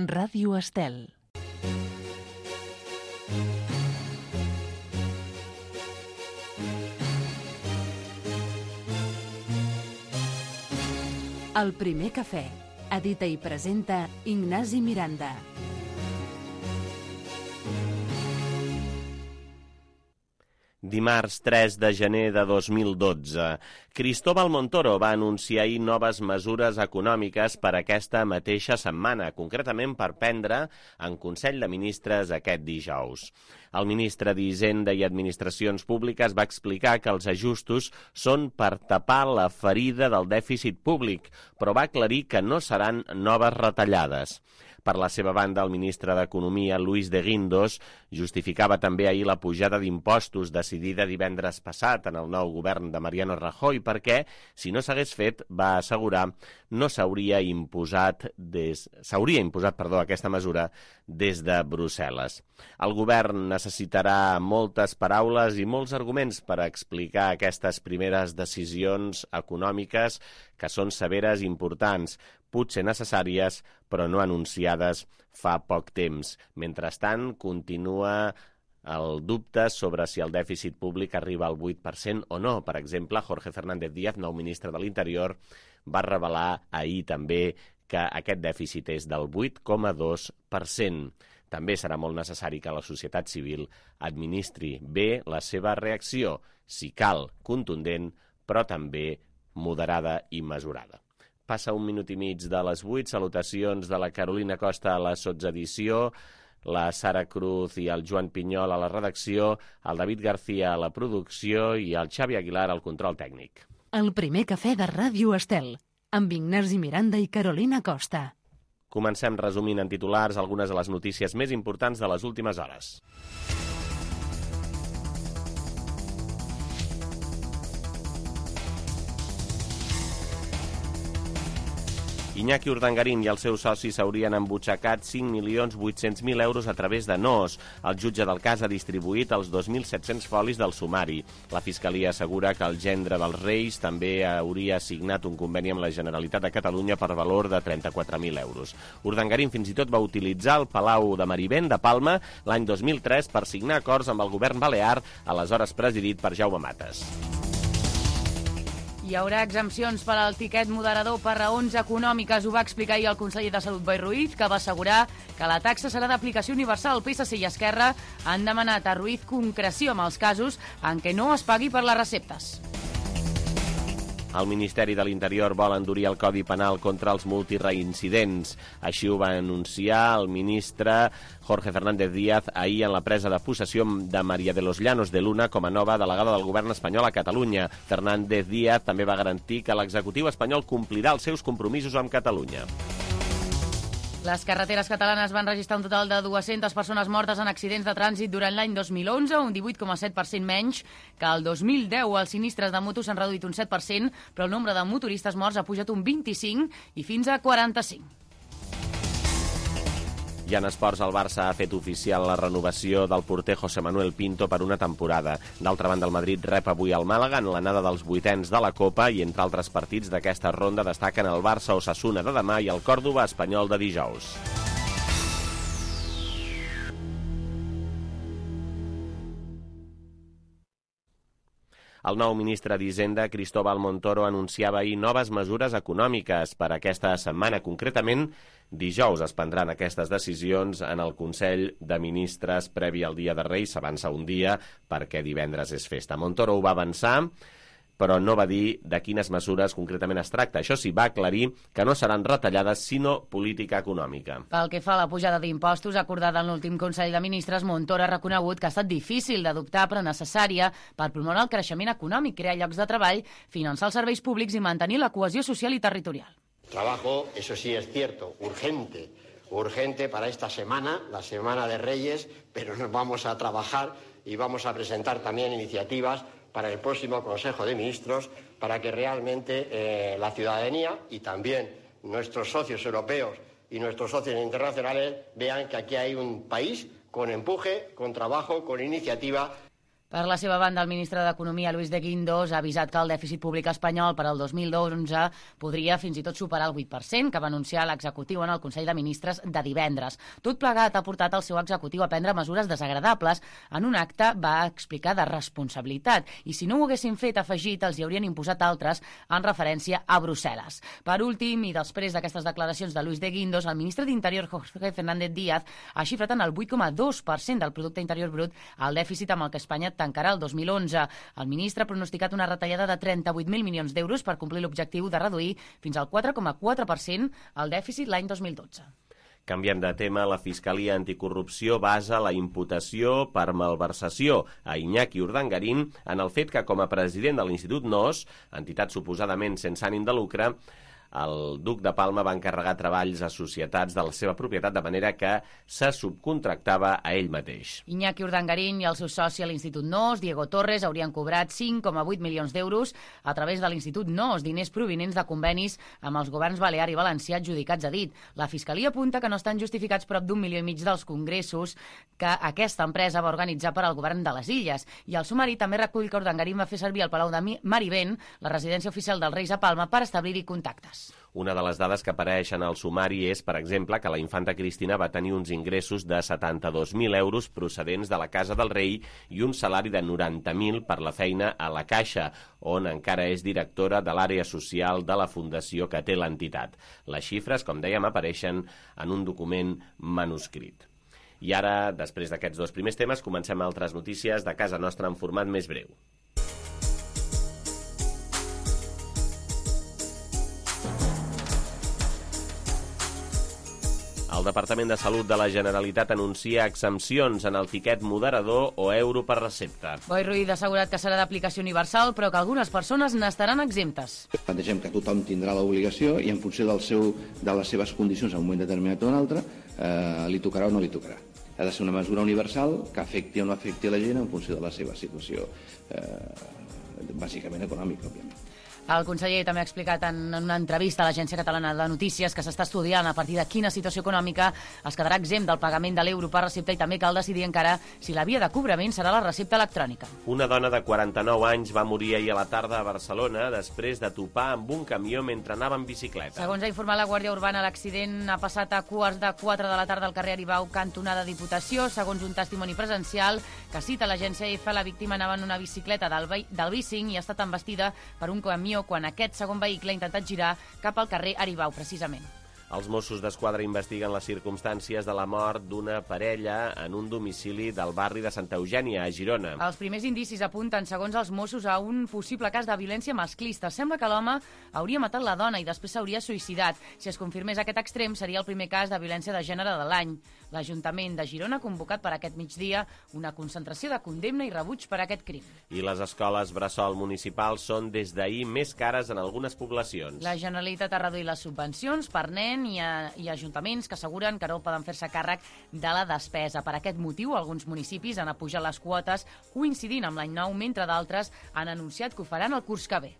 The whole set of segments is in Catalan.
Ràdio Estel. El primer cafè. Edita i presenta Ignasi Miranda. Dimarts 3 de gener de 2012, Cristóbal Montoro va anunciar ahir noves mesures econòmiques per aquesta mateixa setmana, concretament per prendre en Consell de Ministres aquest dijous. El ministre d'Hisenda i Administracions Públiques va explicar que els ajustos són per tapar la ferida del dèficit públic, però va aclarir que no seran noves retallades. Per la seva banda, el ministre d'Economia, Luis de Guindos, justificava també ahir la pujada d'impostos decidida divendres passat en el nou govern de Mariano Rajoy perquè, si no s'hagués fet, va assegurar, no s'hauria imposat aquesta mesura des de Brussel·les. El govern necessitarà moltes paraules i molts arguments per explicar aquestes primeres decisions econòmiques que són severes i importants, potser necessàries, però no anunciades fa poc temps. Mentrestant, continua el dubte sobre si el dèficit públic arriba al 8% o no. Per exemple, Jorge Fernández Díaz, nou ministre de l'Interior, va revelar ahir també que aquest dèficit és del 8,2%. També serà molt necessari que la societat civil administri bé la seva reacció, si cal, contundent, però també moderada i mesurada. Passa un minut i mig de les 8, salutacions de la Carolina Costa a la sotsedició, la Sara Cruz i el Joan Pinyol a la redacció, el David García a la producció i el Xavi Aguilar al control tècnic. El primer cafè de Ràdio Estel, amb Ignasi Miranda i Carolina Costa. Comencem resumint en titulars algunes de les notícies més importants de les últimes hores. Iñaki Urdangarín i els seus socis s'haurien embutxacat 5.800.000 euros a través de NOS. El jutge del cas ha distribuït els 2.700 folis del sumari. La Fiscalia assegura que el gendre dels Reis també hauria signat un conveni amb la Generalitat de Catalunya per valor de 34.000 euros. Urdangarín fins i tot va utilitzar el Palau de Marivent de Palma l'any 2003 per signar acords amb el govern balear, aleshores presidit per Jaume Matas. Hi haurà exempcions per al tiquet moderador per raons econòmiques. Ho va explicar ahir el conseller de Salut, Boi Ruiz, que va assegurar que la taxa serà d'aplicació universal. PSC i Esquerra han demanat a Ruiz concreció amb els casos en què no es pagui per les receptes. El Ministeri de l'Interior vol endurir el Codi Penal contra els multireincidents. Així ho va anunciar el ministre Jorge Fernández Díaz ahir en la presa de possessió de María de los Llanos de Luna com a nova delegada del govern espanyol a Catalunya. Fernández Díaz també va garantir que l'executiu espanyol complirà els seus compromisos amb Catalunya. Les carreteres catalanes van registrar un total de 200 persones mortes en accidents de trànsit durant l'any 2011, un 18,7% menys que el 2010. Els sinistres de moto s'han reduït un 7%, però el nombre de motoristes morts ha pujat un 25% i fins a 45%. I en esports, el Barça ha fet oficial la renovació del porter José Manuel Pinto per una temporada. D'altra banda, el Madrid rep avui el Màlaga en l'anada dels vuitens de la Copa i entre altres partits d'aquesta ronda destaquen el Barça-Osasuna de demà i el Còrdova-Espanyol de dijous. El nou ministre d'Hisenda, Cristóbal Montoro, anunciava ahir noves mesures econòmiques per aquesta setmana. Concretament, dijous es prendran aquestes decisions en el Consell de Ministres previ al Dia de Reis. S'avança un dia perquè divendres és festa. Montoro ho va avançar, però no va dir de quines mesures concretament es tracta. Això sí, va aclarir que no seran retallades, sinó política econòmica. Pel que fa a la pujada d'impostos acordada en l'últim Consell de Ministres, Montoro ha reconegut que ha estat difícil d'adoptar, però necessària per promoure el creixement econòmic, crear llocs de treball, finançar els serveis públics i mantenir la cohesió social i territorial. Trabajo, eso sí es cierto, urgente para esta semana, la Semana de Reyes, pero nos vamos a trabajar y vamos a presentar también iniciativas para el próximo Consejo de Ministros para que realmente la ciudadanía y también nuestros socios europeos y nuestros socios internacionales vean que aquí hay un país con empuje, con trabajo, con iniciativa. Per la seva banda, el ministre d'Economia, Luis de Guindos, ha avisat que el dèficit públic espanyol per al 2011 podria fins i tot superar el 8%, que va anunciar l'executiu en el Consell de Ministres de divendres. Tot plegat ha portat el seu executiu a prendre mesures desagradables. En un acte va explicar de responsabilitat i si no ho haguessin fet, afegit, els hi haurien imposat altres en referència a Brussel·les. Per últim, i després d'aquestes declaracions de Luis de Guindos, el ministre d'Interior, Jorge Fernández Díaz, ha xifrat en el 8,2% del producte interior brut el dèficit amb el que Espanya tancarà el 2011. El ministre ha pronosticat una retallada de 38.000 milions d'euros per complir l'objectiu de reduir fins al 4,4% el dèficit l'any 2012. Canviem de tema, la Fiscalia Anticorrupció basa la imputació per malversació a Iñaki Urdangarín en el fet que, com a president de l'Institut NOS, entitat suposadament sense ànim de lucre, el duc de Palma va encarregar treballs a societats de la seva propietat de manera que se subcontractava a ell mateix. Iñaki Urdangarín i el seu soci a l'Institut NOS, Diego Torres, haurien cobrat 5,8 milions d'euros a través de l'Institut NOS, diners provinents de convenis amb els governs balear i valencià adjudicats a dit. La Fiscalia apunta que no estan justificats prop d'1,5 milió dels congressos que aquesta empresa va organitzar per al govern de les Illes. I el sumari també recull que Urdangarín va fer servir el Palau de Marivent, la residència oficial dels Reis a Palma, per establir-hi contactes. Una de les dades que apareixen al sumari és, per exemple, que la infanta Cristina va tenir uns ingressos de 72.000 euros procedents de la Casa del Rei i un salari de 90.000 per la feina a la Caixa, on encara és directora de l'àrea social de la fundació que té l'entitat. Les xifres, com dèiem, apareixen en un document manuscrit. I ara, després d'aquests dos primers temes, comencem altres notícies de casa nostra en format més breu. El Departament de Salut de la Generalitat anuncia exempcions en el tiquet moderador o euro per recepta. Boi Ruiz ha assegurat que serà d'aplicació universal, però que algunes persones n'estaran exemptes. Plantegem que tothom tindrà l'obligació i en funció de les seves condicions en un moment determinat o un altre, li tocarà o no li tocarà. Ha de ser una mesura universal que afecti o no afecti la gent en funció de la seva situació, bàsicament econòmica, òbviament. El conseller també ha explicat en una entrevista a l'Agència Catalana de Notícies que s'està estudiant a partir de quina situació econòmica es quedarà exempt del pagament de l'euro per recepta i també cal decidir encara si la via de cobrament serà la recepta electrònica. Una dona de 49 anys va morir ahir a la tarda a Barcelona després de topar amb un camió mentre anava en bicicleta. Segons ha informat la Guàrdia Urbana, l'accident ha passat a 3:15 de la tarda al carrer Aribau, cantonada Diputació. Segons un testimoni presencial que cita l'agència EFE, la víctima anava en una bicicleta del bicing i ha estat embestida per un camió quan aquest segon vehicle ha intentat girar cap al carrer Aribau, precisament. Els Mossos d'Esquadra investiguen les circumstàncies de la mort d'una parella en un domicili del barri de Santa Eugènia, a Girona. Els primers indicis apunten, segons els Mossos, a un possible cas de violència masclista. Sembla que l'home hauria matat la dona i després s'hauria suïcidat. Si es confirmés aquest extrem, seria el primer cas de violència de gènere de l'any. L'Ajuntament de Girona ha convocat per aquest migdia una concentració de condemna i rebuig per aquest crim. I les escoles bressol municipals són des d'ahir més cares en algunes poblacions. La Generalitat ha reduït les subvencions per nen i ajuntaments que asseguren que no poden fer-se càrrec de la despesa. Per aquest motiu, alguns municipis han apujat les quotes coincidint amb l'any nou, mentre d'altres han anunciat que ho faran el curs que ve.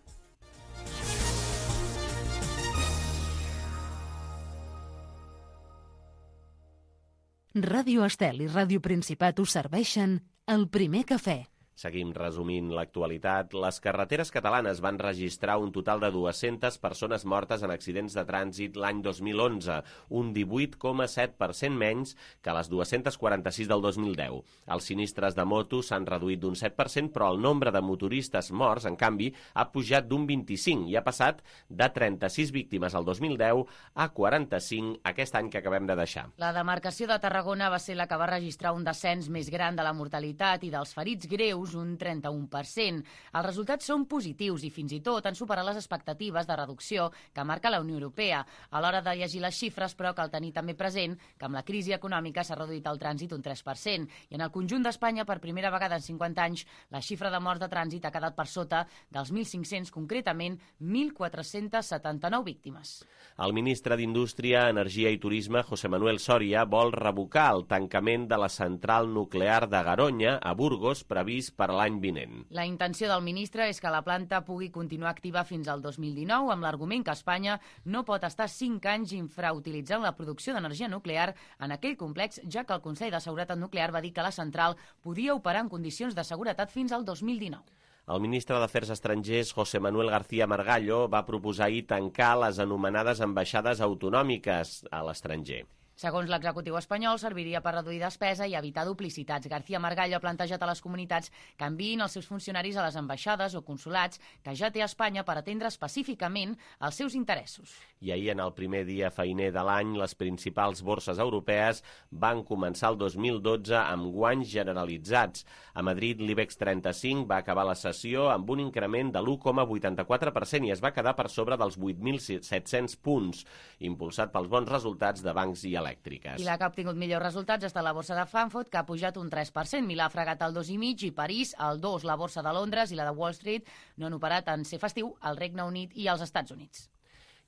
Ràdio Estel i Ràdio Principat us serveixen el primer cafè. Seguim resumint l'actualitat. Les carreteres catalanes van registrar un total de 200 persones mortes en accidents de trànsit l'any 2011, un 18,7% menys que les 246 del 2010. Els sinistres de moto s'han reduït d'un 7%, però el nombre de motoristes morts, en canvi, ha pujat d'un 25% i ha passat de 36 víctimes al 2010 a 45 aquest any que acabem de deixar. La demarcació de Tarragona va ser la que va registrar un descens més gran de la mortalitat i dels ferits greus, un 31%. Els resultats són positius i fins i tot han superat les expectatives de reducció que marca la Unió Europea. A l'hora de llegir les xifres, però, cal tenir també present que amb la crisi econòmica s'ha reduït el trànsit un 3%. I en el conjunt d'Espanya, per primera vegada en 50 anys, la xifra de morts de trànsit ha quedat per sota dels 1.500, concretament 1.479 víctimes. El ministre d'Indústria, Energia i Turisme, José Manuel Soria, vol revocar el tancament de la central nuclear de Garoña, a Burgos, previst per a l'any vinent. La intenció del ministre és que la planta pugui continuar activa fins al 2019, amb l'argument que Espanya no pot estar 5 anys infrautilitzant la producció d'energia nuclear en aquell complex, ja que el Consell de Seguretat Nuclear va dir que la central podia operar en condicions de seguretat fins al 2019. El ministre d'Afers Estrangers, José Manuel García Margallo, va proposar ahir tancar les anomenades ambaixades autonòmiques a l'estranger. Segons l'executiu espanyol, serviria per reduir despesa i evitar duplicitats. García Margallo ha plantejat a les comunitats que enviïn els seus funcionaris a les ambaixades o consulats que ja té a Espanya per atendre específicament els seus interessos. I ahir, en el primer dia feiner de l'any, les principals borses europees van començar el 2012 amb guanys generalitzats. A Madrid, l'IBEX 35 va acabar la sessió amb un increment de l'1,84% i es va quedar per sobre dels 8.700 punts, impulsat pels bons resultats de bancs i elèctriques. I la que ha obtingut millors resultats està la borsa de Frankfurt, que ha pujat un 3%. Milà ha fregat el 2,5% i París el 2%. La borsa de Londres i la de Wall Street no han operat en ser festiu al Regne Unit i als Estats Units.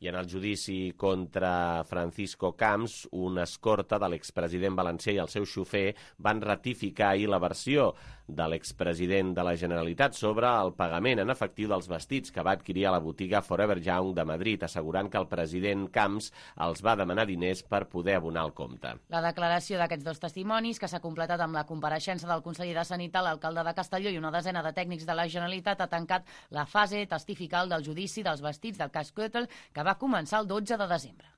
I en el judici contra Francisco Camps, una escorta de l'expresident valencià i el seu xofer van ratificar ahir la versió de l'expresident de la Generalitat sobre el pagament en efectiu dels vestits que va adquirir a la botiga Forever Young de Madrid, assegurant que el president Camps els va demanar diners per poder abonar el compte. La declaració d'aquests dos testimonis, que s'ha completat amb la compareixença del conseller de Sanitat, l'alcalde de Castelló i una desena de tècnics de la Generalitat, ha tancat la fase testifical del judici dels vestits del cas Köttel, que va començar el 12 de desembre.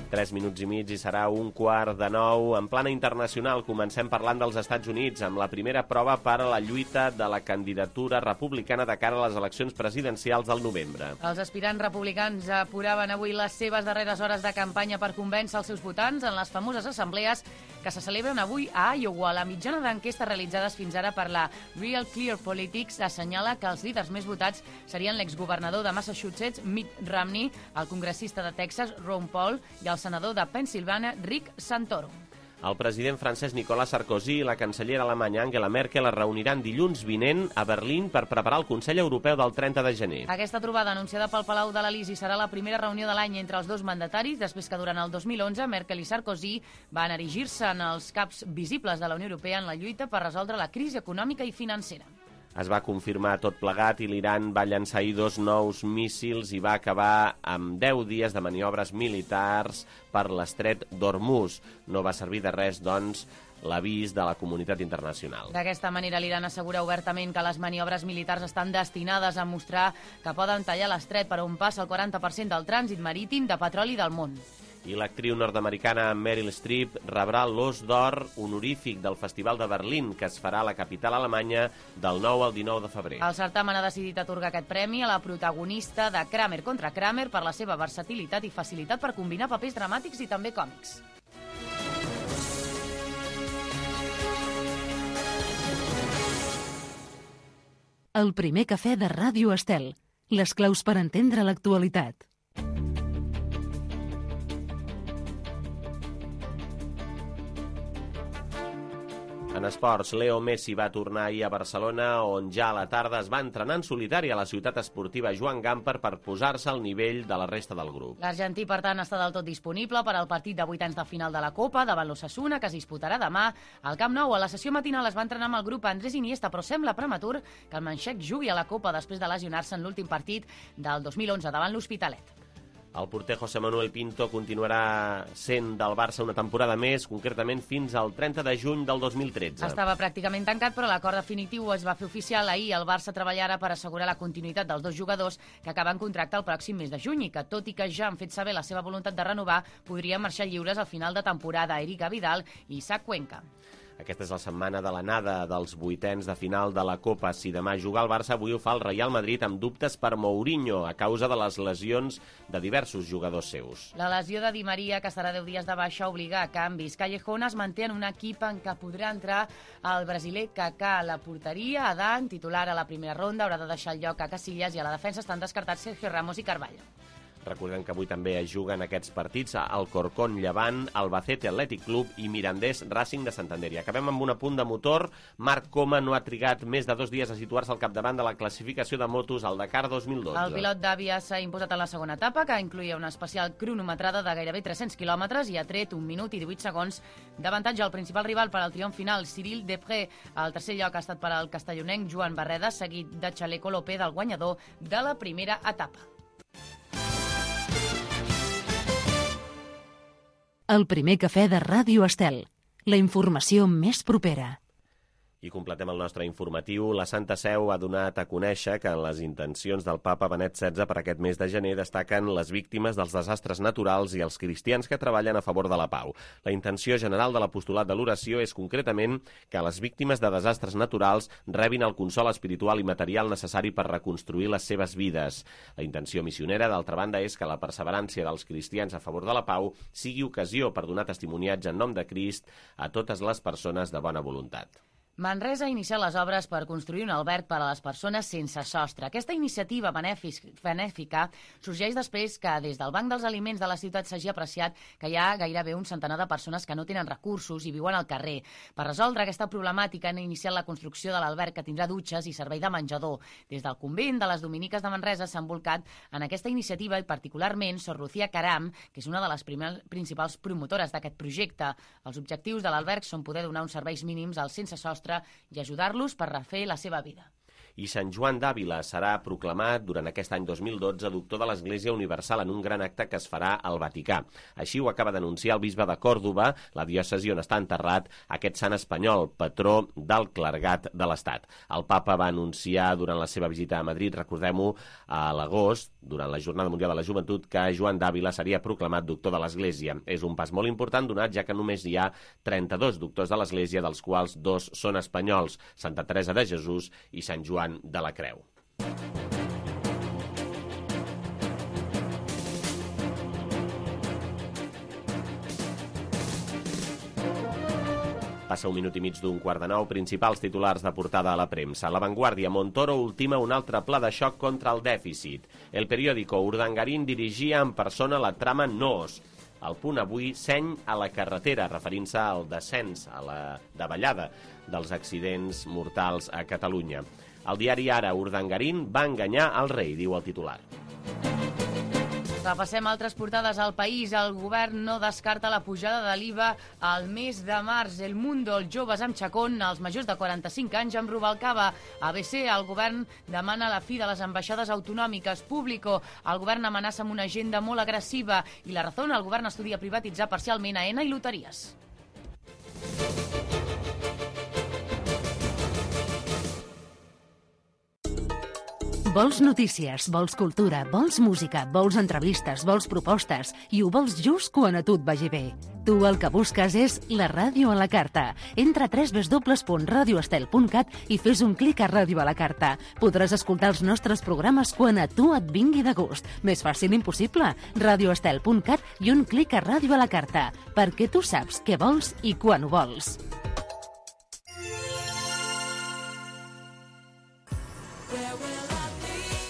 Tres minuts i mig i serà 8:45. En plana internacional comencem parlant dels Estats Units amb la primera prova per a la lluita de la candidatura republicana de cara a les eleccions presidencials del novembre. Els aspirants republicans apuraven avui les seves darreres hores de campanya per convèncer els seus votants en les famoses assemblees que se celebren avui a Iowa. La mitjana d'enquestes realitzades fins ara per la Real Clear Politics assenyala que els líders més votats serien l'exgovernador de Massachusetts, Mitt Romney, el congressista de Texas, Ron Paul, i el senador de Pensilvània, Rick Santorum. El president francès Nicolas Sarkozy i la cancellera alemanya Angela Merkel es reuniran dilluns vinent a Berlín per preparar el Consell Europeu del 30 de gener. Aquesta trobada, anunciada pel Palau de l'Elisi, serà la primera reunió de l'any entre els dos mandataris, després que durant el 2011 Merkel i Sarkozy van erigir-se en els caps visibles de la Unió Europea en la lluita per resoldre la crisi econòmica i financera. Es va confirmar tot plegat i l'Iran va llançar ahir 2 nous míssils i va acabar amb 10 dies de maniobres militars per l'estret d'Hormuz. No va servir de res, doncs, l'avís de la comunitat internacional. D'aquesta manera, l'Iran assegura obertament que les maniobres militars estan destinades a mostrar que poden tallar l'estret per on passa el 40% del trànsit marítim de petroli del món. I l'actriu nord-americana Meryl Streep rebrà l'Os d'Or honorífic del Festival de Berlín, que es farà a la capital alemanya del 9 al 19 de febrer. El certamen ha decidit atorgar aquest premi a la protagonista de Kramer contra Kramer per la seva versatilitat i facilitat per combinar papers dramàtics i també còmics. El primer cafè de Ràdio Estel. Les claus per entendre l'actualitat. En esports, Leo Messi va tornar ahir a Barcelona, on ja a la tarda es va entrenar en solitari a la ciutat esportiva Joan Gamper per posar-se al nivell de la resta del grup. L'argentí, per tant, està del tot disponible per al partit de 8 de final de la Copa davant l'Osasuna, que es disputarà demà al Camp Nou. A la sessió matinal es va entrenar amb el grup Andrés Iniesta, però sembla prematur que el manxec jugui a la Copa després de lesionar-se en l'últim partit del 2011 davant l'Hospitalet. El porter José Manuel Pinto continuarà sent del Barça una temporada més, concretament fins al 30 de juny del 2013. Estava pràcticament tancat, però l'acord definitiu es va fer oficial ahir. El Barça treballarà per assegurar la continuïtat dels dos jugadors que acaben contracte el pròxim mes de juny i que, tot i que ja han fet saber la seva voluntat de renovar, podrien marxar lliures al final de temporada. Eric Vidal i Isaac Cuenca. Aquesta és la setmana de l'anada dels 8ens de final de la Copa. Si demà juga el Barça, avui ho fa el Real Madrid amb dubtes per Mourinho a causa de les lesions de diversos jugadors seus. La lesió de Di Maria, que estarà 10 dies de baixa, obliga a canvis. Callejón es manté en un equip en què podrà entrar el brasiler Kaká a la porteria. Adán, titular a la primera ronda, haurà de deixar el lloc a Casillas i a la defensa estan descartats Sergio Ramos i Carvalho. Recordem que avui també es juguen aquests partits al Corcón Llevant, Albacete Athletic Club i Mirandés Racing de Santander. I acabem amb un apunt de motor. Marc Coma no ha trigat més de 2 dies a situar-se al capdavant de la classificació de motos al Dakar 2012. El pilot d'Àvia s'ha imposat en la segona etapa, que incluïa una especial cronometrada de gairebé 300 quilòmetres i ha tret 1 minut i 18 segons d'avantatge al principal rival per al triomf final, Cyril Depré. El tercer lloc ha estat per al castellonenc Joan Barreda, seguit de Chaleco López, del guanyador de la primera etapa. El primer cafè de Ràdio Estel. La informació més propera. I completem el nostre informatiu. La Santa Seu ha donat a conèixer que en les intencions del papa Benet XVI per aquest mes de gener destaquen les víctimes dels desastres naturals i els cristians que treballen a favor de la pau. La intenció general de l'apostolat de l'oració és concretament que les víctimes de desastres naturals rebin el consol espiritual i material necessari per reconstruir les seves vides. La intenció missionera, d'altra banda, és que la perseverància dels cristians a favor de la pau sigui ocasió per donar testimoniatge en nom de Crist a totes les persones de bona voluntat. Manresa ha iniciat les obres per construir un alberg per a les persones sense sostre. Aquesta iniciativa benèfica sorgeix després que des del Banc dels Aliments de la ciutat s'hagi apreciat que hi ha gairebé un centenar de persones que no tenen recursos i viuen al carrer. Per resoldre aquesta problemàtica han iniciat la construcció de l'alberg, que tindrà dutxes i servei de menjador. Des del convent de les Dominiques de Manresa s'han volcat en aquesta iniciativa i particularment Sor Lucía Caram, que és una de les principals promotores d'aquest projecte. Els objectius de l'alberg són poder donar uns serveis mínims als sense sostre i ajudar-los per refer la seva vida. I Sant Joan d'Àvila serà proclamat durant aquest any 2012 doctor de l'Església Universal en un gran acte que es farà al Vaticà. Així ho acaba d'anunciar el bisbe de Còrdova, la diòcesi on està enterrat aquest sant espanyol, patró del clergat de l'Estat. El papa va anunciar durant la seva visita a Madrid, recordem-ho, a l'agost, durant la Jornada Mundial de la Joventut, que Joan d'Àvila seria proclamat doctor de l'Església. És un pas molt important donat, ja que només hi ha 32 doctors de l'Església, dels quals 2 són espanyols, Santa Teresa de Jesús i Sant Joan de la Creu. Passa 1 minut i mig d'1:15, principals titulars de portada a la premsa. La Vanguardia, Montoro ultima un altre pla de xoc contra el dèficit. El periòdico, Urdangarín dirigia en persona la trama NOS. El Punt avui, seny a la carretera, referint-se al descens, a la davallada dels accidents mortals a Catalunya. El diari Ara, Urdangarín va enganyar el rei, diu el titular. Repassem altres portades al país. El govern no descarta la pujada de l'IVA al mes de març. El Mundo, els joves amb xacón, els majors de 45 anys amb Rubalcaba. ABC, el govern demana la fi de les ambaixades autonòmiques. Público, el govern amenaça amb una agenda molt agressiva. I La Razón, el govern estudia privatitzar parcialment Aena i loteries. Vols notícies, vols cultura, vols música, vols entrevistes, vols propostes i ho vols just quan a tu et vagi bé. Tu el que busques és la ràdio a la carta. Entra a www.radioestel.cat i fes un clic a Ràdio a la carta. Podràs escoltar els nostres programes quan a tu et vingui de gust. Més fàcil impossible. Radioestel.cat i un clic a Ràdio a la carta, perquè tu saps què vols i quan ho vols.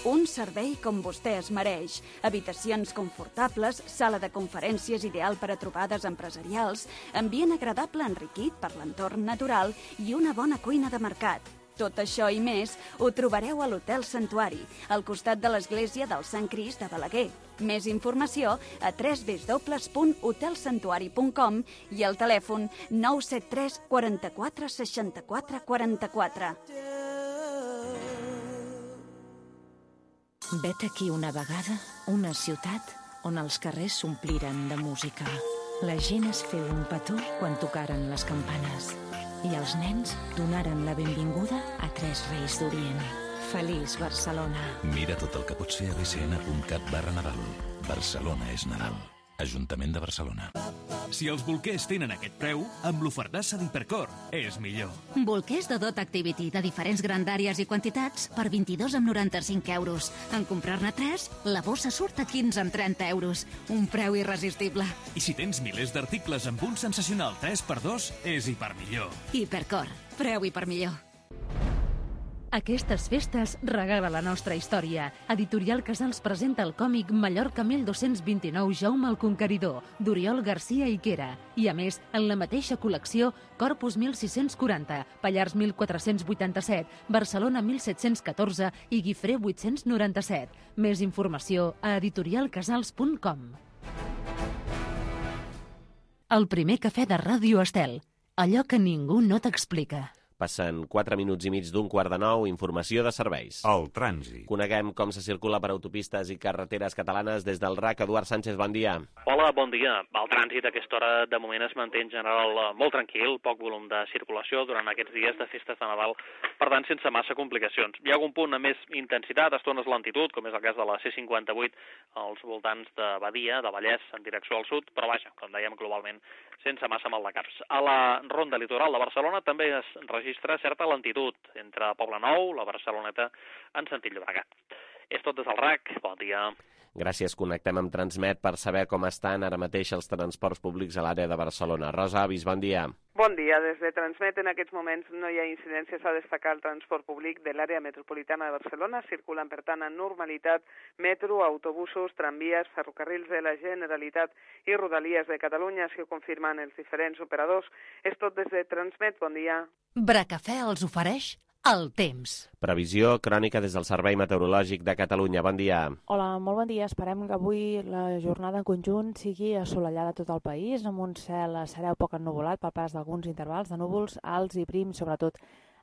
Un servei com vostè es mereix. Habitacions confortables, sala de conferències ideal per a trobades empresarials, ambient agradable enriquit per l'entorn natural i una bona cuina de mercat. Tot això i més ho trobareu a l'Hotel Santuari, al costat de l'església del Sant Crist de Balaguer. Més informació a www.hotelsantuari.com i al telèfon 973 44 64 44. Vet aquí una vegada una ciutat on els carrers s'ompliren de música. La gent es feu un petó quan tocaren les campanes i els nens donaren la benvinguda a 3 reis d'Orient. Feliç Barcelona. Mira tot el que pots fer a bcn.cat/Nadal. Barcelona és Nadal. Ajuntament de Barcelona. Si els bolquers tenen aquest preu, amb l'ofertassa d'Hipercor és millor. Bolquers de Dot Activity de diferents grandàries i quantitats per 22,95 euros. En comprar-ne 3, la bossa surt a 15,30 euros. Un preu irresistible. I si tens milers d'articles amb un sensacional 3x2, és Hipermillor. Hipercor. Preu Hipermillor. Aquestes festes regala la nostra història. Editorial Casals presenta el còmic Mallorca 1229 Jaume el Conqueridor, d'Oriol Garcia Iquera. I a més, en la mateixa col·lecció, Corpus 1640, Pallars 1487, Barcelona 1714 i Guifré 897. Més informació a editorialcasals.com. El primer cafè de Ràdio Estel. Allò que ningú no t'explica. Passen 4 minuts i mig d'1:45, informació de serveis. El trànsit. Coneguem com se circula per autopistes i carreteres catalanes des del RAC. Eduard Sánchez, bon dia. Hola, bon dia. El trànsit a aquesta hora de moment es manté en general molt tranquil, poc volum de circulació durant aquests dies de festes de Nadal, per tant sense massa complicacions. Hi ha algun punt amb més intensitat, estones lentitud, com és el cas de la C58 als voltants de Badia, de Vallès, en direcció al sud, però vaja, com dèiem, globalment sense massa maldecaps. A la ronda litoral de Barcelona també es registra certa lentitud entre Poblenou, la Barceloneta, en sentit Llobregat. És tot des del RAC. Bon dia. Gràcies. Connectem amb Transmet per saber com estan ara mateix els transports públics a l'àrea de Barcelona. Rosa Avis, bon dia. Bon dia. Des de Transmet en aquests moments no hi ha incidències a destacar. El transport públic de l'àrea metropolitana de Barcelona circulen, per tant, en normalitat metro, autobusos, tramvies, ferrocarrils de la Generalitat i Rodalies de Catalunya, així ho confirmen els diferents operadors. És tot des de Transmet. Bon dia. Bracafè els ofereix el temps. Previsió crònica des del Servei Meteorològic de Catalunya. Bon dia. Hola, molt bon dia. Esperem que avui la jornada en conjunt sigui assolellada a tot el país, amb un cel sereu poc ennuvolat per pas d'alguns intervals de núvols alts i prims, sobretot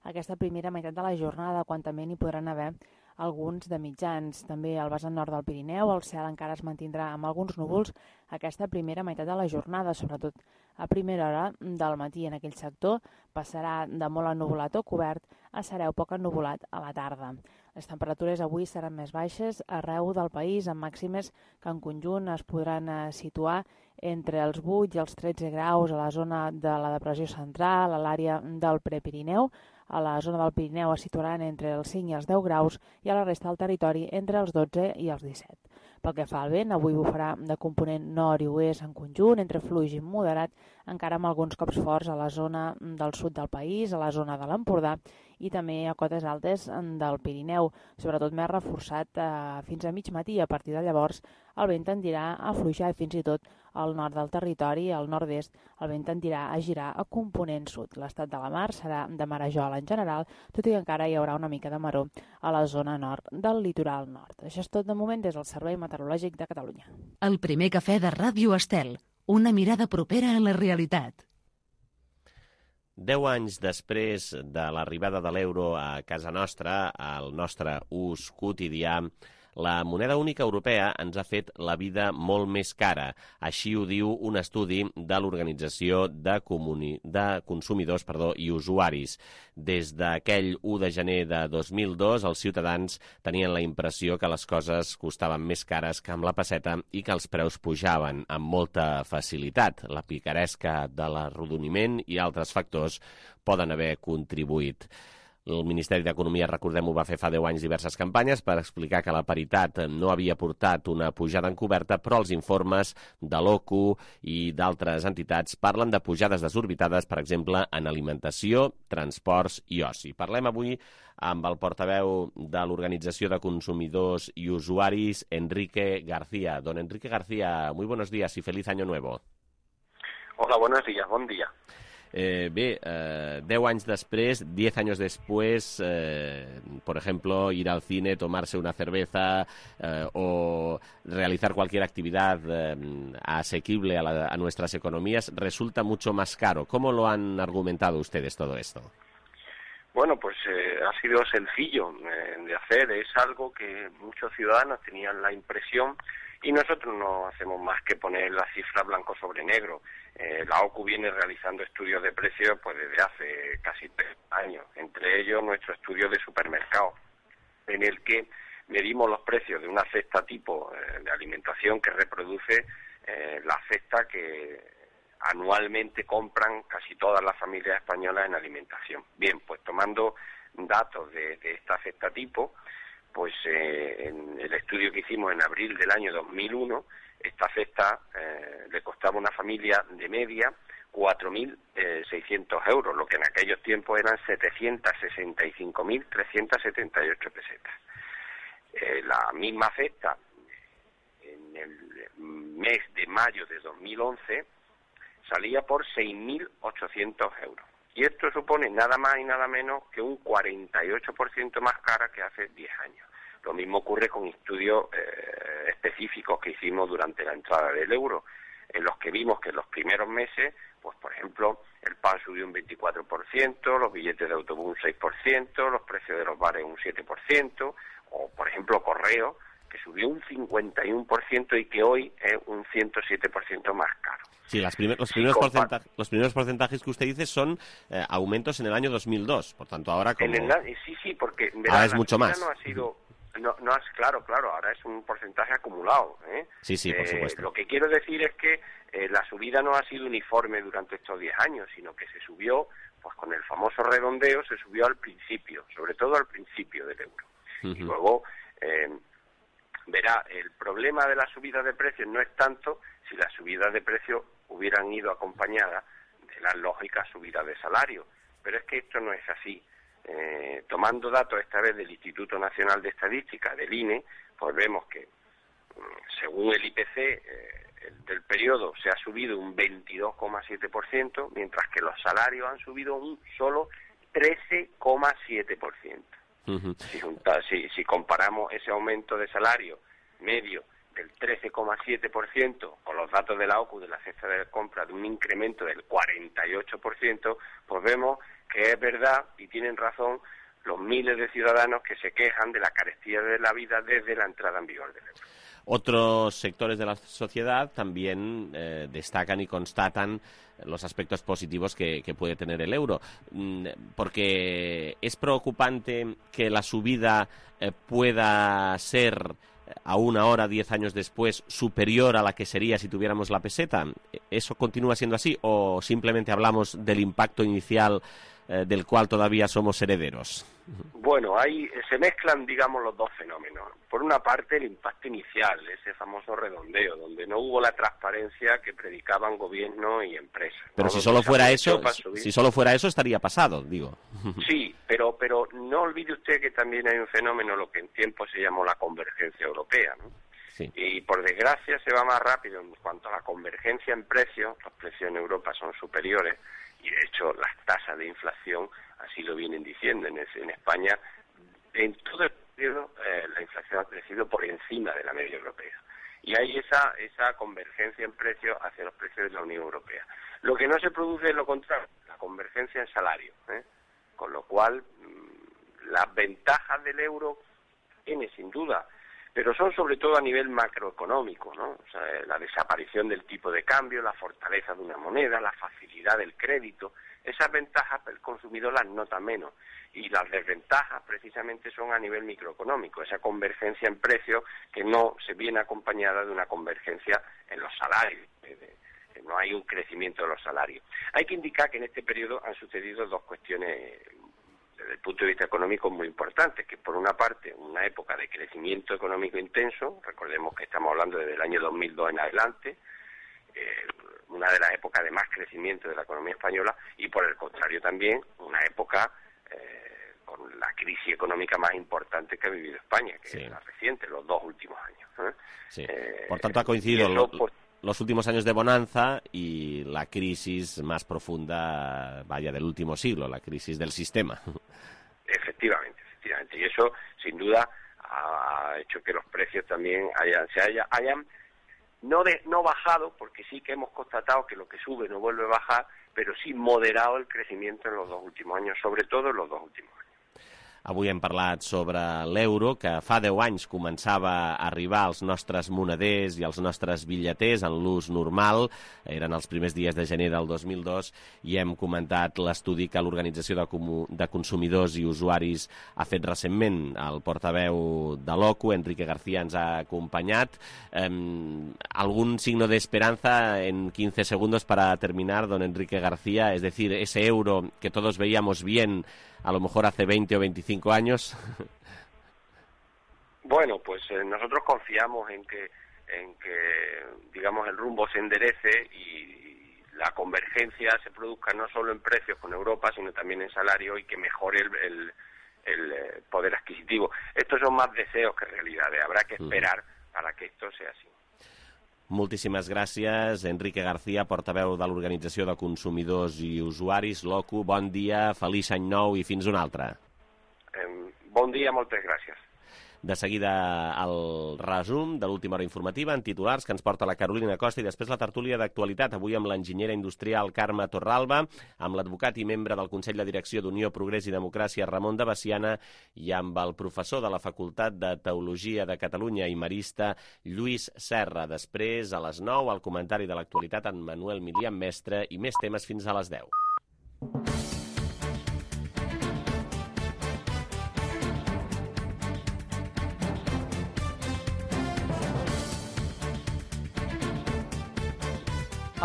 aquesta primera meitat de la jornada, quan també n'hi podran haver alguns de mitjans. També al vessant nord del Pirineu el cel encara es mantindrà amb alguns núvols aquesta primera meitat de la jornada, sobretot a primera hora del matí en aquell sector. Passarà de molt ennuvolat o cobert a sereu poc ennuvolat a la tarda. Les temperatures avui seran més baixes arreu del país, amb màximes que en conjunt es podran situar entre els 8 i els 13 graus a la zona de la depressió central, a l'àrea del Prepirineu. A la zona del Pirineu es situaran entre els 5 i els 10 graus i a la resta del territori entre els 12 i els 17. Pel que fa al vent, avui bufarà de component nord i oest en conjunt, entre fluix i moderat, encara amb alguns cops forts a la zona del sud del país, a la zona de l'Empordà i també a cotes altes del Pirineu, sobretot més reforçat fins a mig matí. A partir de llavors el vent tendirà a afluixar i fins i tot al nord del territori, al nord-est, el vent tendirà a girar a component sud. L'estat de la mar serà de marejol en general, tot i que encara hi haurà una mica de maror a la zona nord del litoral nord. Això és tot de moment des del Servei Meteorològic de Catalunya. El primer cafè de Ràdio Estel, una mirada propera a la realitat. 10 anys després de l'arribada de l'euro a casa nostra, al nostre ús quotidià, la moneda única europea ens ha fet la vida molt més cara. Així ho diu un estudi de l'Organització de Consumidors i Usuaris. Des d'aquell 1 de gener de 2002, els ciutadans tenien la impressió que les coses costaven més cares que amb la pesseta i que els preus pujaven amb molta facilitat. La picaresca de l'arrodoniment i altres factors poden haver contribuït. El Ministeri d'Economia, recordem-ho, va fer fa 10 anys diverses campanyes per explicar que la paritat no havia portat una pujada encoberta, però els informes de l'OCU i d'altres entitats parlen de pujades desorbitades, per exemple, en alimentació, transports i oci. Parlem avui amb el portaveu de l'Organització de Consumidors i Usuaris, Enrique García. Don Enrique García, muy buenos días y feliz año nuevo. Hola, buenos días, bon dia. 10 años después, 10 años después, por ejemplo, ir al cine, tomarse una cerveza o realizar cualquier actividad asequible a nuestras economías resulta mucho más caro. ¿Cómo lo han argumentado ustedes todo esto? Bueno, pues ha sido sencillo de hacer. Es algo que muchos ciudadanos tenían la impresión y nosotros no hacemos más que poner la cifra blanco sobre negro. La OCU viene realizando estudios de precios pues desde hace casi 3 años, entre ellos nuestro estudio de supermercado, en el que medimos los precios de una cesta tipo de alimentación que reproduce la cesta que anualmente compran casi todas las familias españolas en alimentación. Bien, pues tomando datos de esta cesta tipo, pues en el estudio que hicimos en abril del año 2001, esta cesta le costaba a una familia de media 4.600 euros, lo que en aquellos tiempos eran 765.378 pesetas. La misma cesta en el mes de mayo de 2011 salía por 6.800 euros. Y esto supone nada más y nada menos que un 48% más cara que hace 10 años. Lo mismo ocurre con estudios específicos que hicimos durante la entrada del euro, en los que vimos que en los primeros meses, pues por ejemplo, el pan subió un 24%, los billetes de autobús un 6%, los precios de los bares un 7%, o por ejemplo Correo, que subió un 51% y que hoy es un 107% más caro. Sí, los primeros porcentajes que usted dice son aumentos en el año 2002, por tanto ahora como... Sí, porque ahora es mucho más. No ha sido... claro, ahora es un porcentaje acumulado. Sí, por supuesto. Lo que quiero decir es que la subida no ha sido uniforme durante estos 10 años, sino que se subió, pues con el famoso redondeo, se subió al principio, sobre todo al principio del euro. Y luego, verá, el problema de la subida de precios no es tanto si las subidas de precios hubieran ido acompañadas de las lógicas subidas de salario, pero es que esto no es así. Tomando datos esta vez del Instituto Nacional de Estadística, del INE, pues vemos que según el IPC del periodo se ha subido un 22,7%, mientras que los salarios han subido un solo 13,7%. Si comparamos ese aumento de salario medio del 13,7% con los datos de la OCU de la cesta de compra de un incremento del 48%, pues vemos que es verdad y tienen razón los miles de ciudadanos que se quejan de la carestía de la vida desde la entrada en vigor del euro. Otros sectores de la sociedad también destacan y constatan los aspectos positivos que puede tener el euro, porque es preocupante que la subida pueda ser aún ahora, 10 años después, superior a la que sería si tuviéramos la peseta. ¿Eso continúa siendo así o simplemente hablamos del impacto inicial del cual todavía somos herederos? Bueno, ahí se mezclan, digamos, los dos fenómenos. Por una parte, el impacto inicial, ese famoso redondeo, donde no hubo la transparencia que predicaban gobierno y empresas. Pero si solo fuera eso, estaría pasado, digo. Sí, pero no olvide usted que también hay un fenómeno, lo que en tiempo se llamó la convergencia europea, ¿no? Sí. Y por desgracia se va más rápido en cuanto a la convergencia en precios. Los precios en Europa son superiores y de hecho las tasas de inflación así lo vienen diciendo. En España, en todo el periodo, la inflación ha crecido por encima de la media europea. Y hay esa convergencia en precios hacia los precios de la Unión Europea. Lo que no se produce es lo contrario, la convergencia en salario, con lo cual las ventajas del euro tiene sin duda, pero son sobre todo a nivel macroeconómico, ¿no? O sea, la desaparición del tipo de cambio, la fortaleza de una moneda, la facilidad del crédito. Esas ventajas el consumidor las nota menos y las desventajas precisamente son a nivel microeconómico, esa convergencia en precios que no se viene acompañada de una convergencia en los salarios, no hay un crecimiento de los salarios. Hay que indicar que en este periodo han sucedido dos cuestiones desde el punto de vista económico muy importantes, que por una parte una época de crecimiento económico intenso, recordemos que estamos hablando desde el año 2002 en adelante, una de las épocas de más crecimiento de la economía española, y por el contrario también una época con la crisis económica más importante que ha vivido España, que es la reciente, los 2 últimos años. Sí. Por tanto, ha coincidido los últimos años de bonanza y la crisis más profunda, del último siglo, la crisis del sistema. Efectivamente. Y eso, sin duda, ha hecho que los precios también hayan no bajado, porque sí que hemos constatado que lo que sube no vuelve a bajar, pero sí moderado el crecimiento en los 2 últimos años, sobre todo en los 2 últimos años. Avui hem parlat sobre l'euro, que fa 10 anys començava a arribar als nostres moneders i als nostres bitlleters en l'ús normal. Eren els primers dies de gener del 2002 i hem comentat l'estudi que l'Organització de Consumidors i Usuaris ha fet recentment. El portaveu de l'OCU, Enrique García, ens ha acompanyat. ¿Algún signo de esperanza en 15 segundos para terminar, don Enrique García? Es decir, ese euro que todos veíamos bien a lo mejor hace 20 o 25 años. Bueno, pues nosotros confiamos en que digamos el rumbo se enderece y la convergencia se produzca no solo en precios con Europa, sino también en salario, y que mejore el poder adquisitivo. Estos son más deseos que realidades. Habrá que esperar para que esto sea así. Moltíssimes gràcies, Enrique García, portaveu de l'Organització de Consumidors i Usuaris, l'OCU. Bon dia, feliç any nou i fins un altre. Bon dia, moltes gràcies. De seguida el resum de l'última hora informativa en titulars que ens porta la Carolina Costa i després la tertúlia d'actualitat, avui amb l'enginyera industrial Carme Torralba, amb l'advocat i membre del Consell de Direcció d'Unió, Progrés i Democràcia Ramon de Baciana i amb el professor de la Facultat de Teologia de Catalunya i marista Lluís Serra. Després, a les 9, el comentari de l'actualitat en Manuel Milian Mestre i més temes fins a les 10.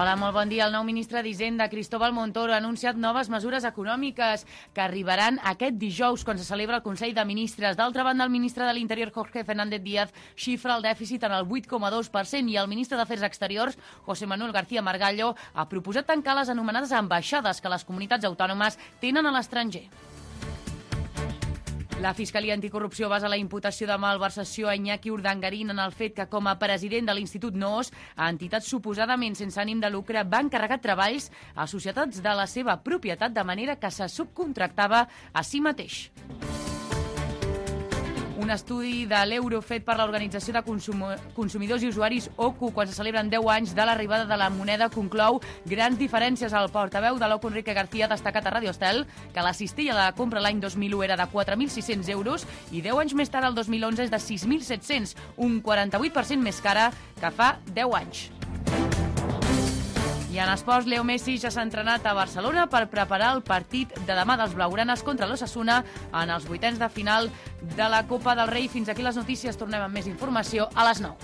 Hola, molt bon dia. El nou ministre d'Hisenda, Cristóbal Montoro, ha anunciat noves mesures econòmiques que arribaran aquest dijous, quan se celebra el Consell de Ministres. D'altra banda, el ministre de l'Interior, Jorge Fernández Díaz, xifra el dèficit en el 8,2% i el ministre d'Afers Exteriors, José Manuel García Margallo, ha proposat tancar les anomenades ambaixades que les comunitats autònomes tenen a l'estranger. La Fiscalia Anticorrupció basa la imputació de malversació a Iñaki Urdangarín en el fet que, com a president de l'Institut NOOS, a entitats suposadament sense ànim de lucre va encarregar treballs a societats de la seva propietat de manera que se subcontractava a si mateix. Un estudi de l'euro fet per l'Organització de Consumidors i Usuaris OCU, quan se celebren 10 anys de l'arribada de la moneda, conclou grans diferències. El portaveu de l'OCU, Enrique García, ha destacat a Radio Estel que la cistella de la compra l'any 2001 era de 4.600 euros i 10 anys més tard, el 2011, és de 6.700, un 48% més cara que fa 10 anys. I en esports, Leo Messi ja s'ha entrenat a Barcelona per preparar el partit de demà dels blaugranes contra l'Osasuna en els vuitens de final de la Copa del Rei. Fins aquí les notícies. Tornem amb més informació a les 9.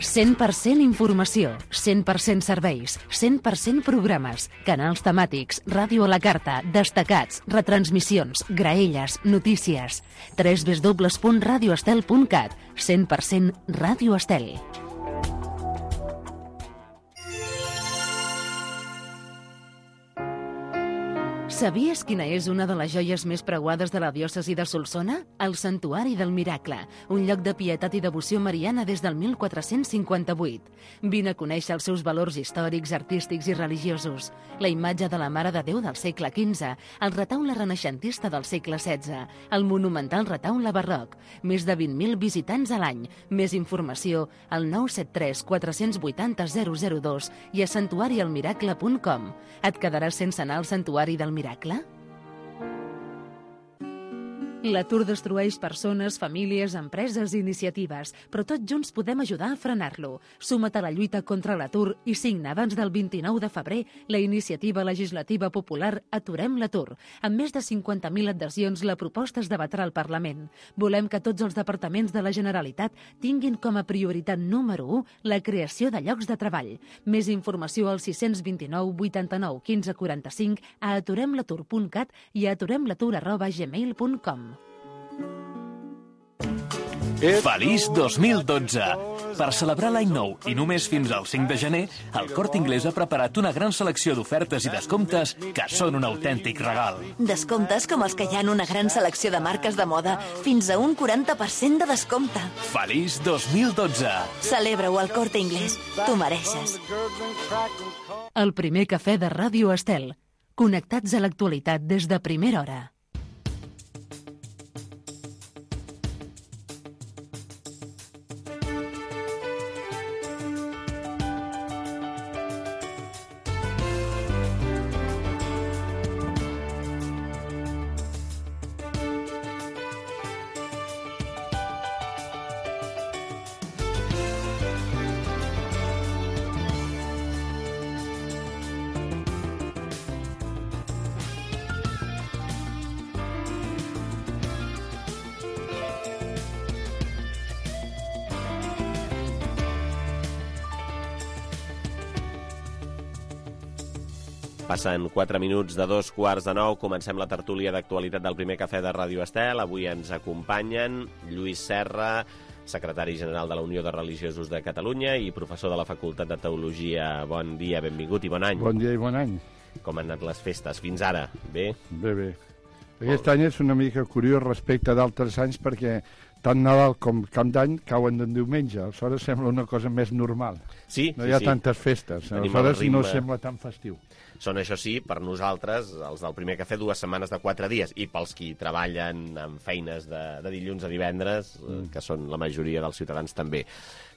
«100% informació, 100% serveis, 100% programes, canals temàtics, ràdio a la carta, destacats, retransmissions, graelles, notícies. www.radioestel.cat. 100% Ràdio Estel». Sabies quina és una de les joies més preuades de la diòcesi de Solsona? El Santuari del Miracle, un lloc de pietat i devoció mariana des del 1458. Vine a conèixer els seus valors històrics, artístics i religiosos. La imatge de la Mare de Déu del segle XV, el retaule renaixentista del segle XVI, el monumental retaule barroc, més de 20.000 visitants a l'any. Més informació al 973 480 002 i a santuarialmiracle.com. Et quedaràs sense anar al Santuari del Miracle? L'atur destrueix persones, famílies, empreses i iniciatives, però tots junts podem ajudar a frenar-lo. Suma't a la lluita contra l'atur i signa abans del 29 de febrer la iniciativa legislativa popular Aturem l'atur. Amb més de 50.000 adhesions, la proposta es debatrà al Parlament. Volem que tots els departaments de la Generalitat tinguin com a prioritat número 1 la creació de llocs de treball. Més informació al 629 89 15 45 a aturemlatur.cat i a aturemlatur@gmail.com. Feliç 2012! Per celebrar l'any nou i només fins al 5 de gener, el Corte Inglés ha preparat una gran selecció d'ofertes i descomptes que són un autèntic regal. Descomptes com els que hi ha en una gran selecció de marques de moda, fins a un 40% de descompte. Feliç 2012! Celebra-ho al Corte Inglés. T'ho mereixes. El primer cafè de Ràdio Estel. Connectats a l'actualitat des de primera hora. Passen 4 minuts de 2:15. Comencem la tertúlia d'actualitat del primer cafè de Ràdio Estel. Avui ens acompanyen Lluís Serra, secretari general de la Unió de Religiosos de Catalunya i professor de la Facultat de Teologia. Bon dia, benvingut i bon any. Bon dia i bon any. Com han anat les festes fins ara? Bé? Bé. Aquest any és una mica curiós respecte d'altres anys perquè tant Nadal com Cap d'Any cauen en diumenge, aleshores sembla una cosa més normal. Sí, no hi ha tantes festes, aleshores no sembla tan festiu. Són, això sí, per nosaltres, els del Primer Cafè, 2 setmanes de 4 dies, i pels qui treballen en feines de dilluns a divendres, que són la majoria dels ciutadans també.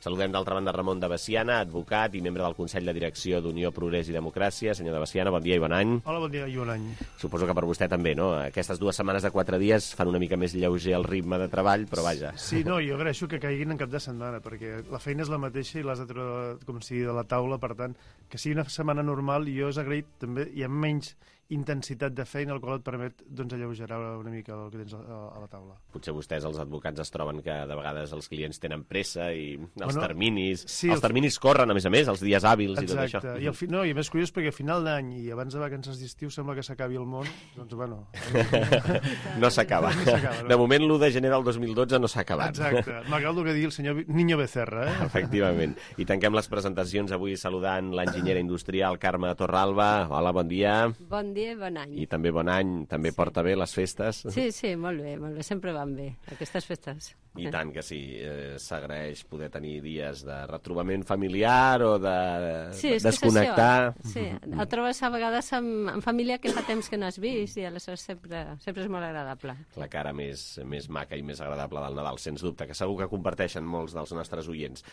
Saludem d'altra banda Ramon de Veciana, advocat i membre del Consell de Direcció d'Unió, Progrés i Democràcia. Senyor de Veciana, bon dia i bon any. Hola, bon dia i bon any. Suposo que per vostè també, no? Aquestes 2 setmanes de 4 dies fan una mica més lleuger el ritme de treball, però vaja. Sí, no, jo agraeixo que caiguin en cap de setmana, perquè la feina és la mateixa i l'has de treure, com si de la taula, per tant, que sigui una setmana normal, jo és agraït també, hi ha menys intensitat de feina, el qual et permet alleugerar una mica el que tens a la taula. Potser vostès, els advocats, es troben que de vegades els clients tenen pressa i els terminis... Sí, els terminis corren, a més, els dies hàbils i tot això. Exacte, i a més curiós perquè a final d'any i abans de vacances d'estiu sembla que s'acabi el món, doncs bueno... No s'acaba. De moment, l'1 de gener del 2012 no s'ha acabat. Exacte, malgrat el que digui el senyor Niño Becerra, eh? Efectivament. I tanquem les presentacions avui saludant l'enginyera industrial Carme Torralba. Hola, bon dia. Bon dia i bon any. I també bon any, també porta bé les festes? Sí, molt bé, sempre van bé, aquestes festes. I tant que sí, s'agraeix poder tenir dies de retrobament familiar o de desconnectar. Sí, et trobes a vegades amb família que fa temps que no has vist i aleshores sempre és molt agradable. La cara més maca i més agradable del Nadal, sens dubte, que segur que comparteixen molts dels nostres oients.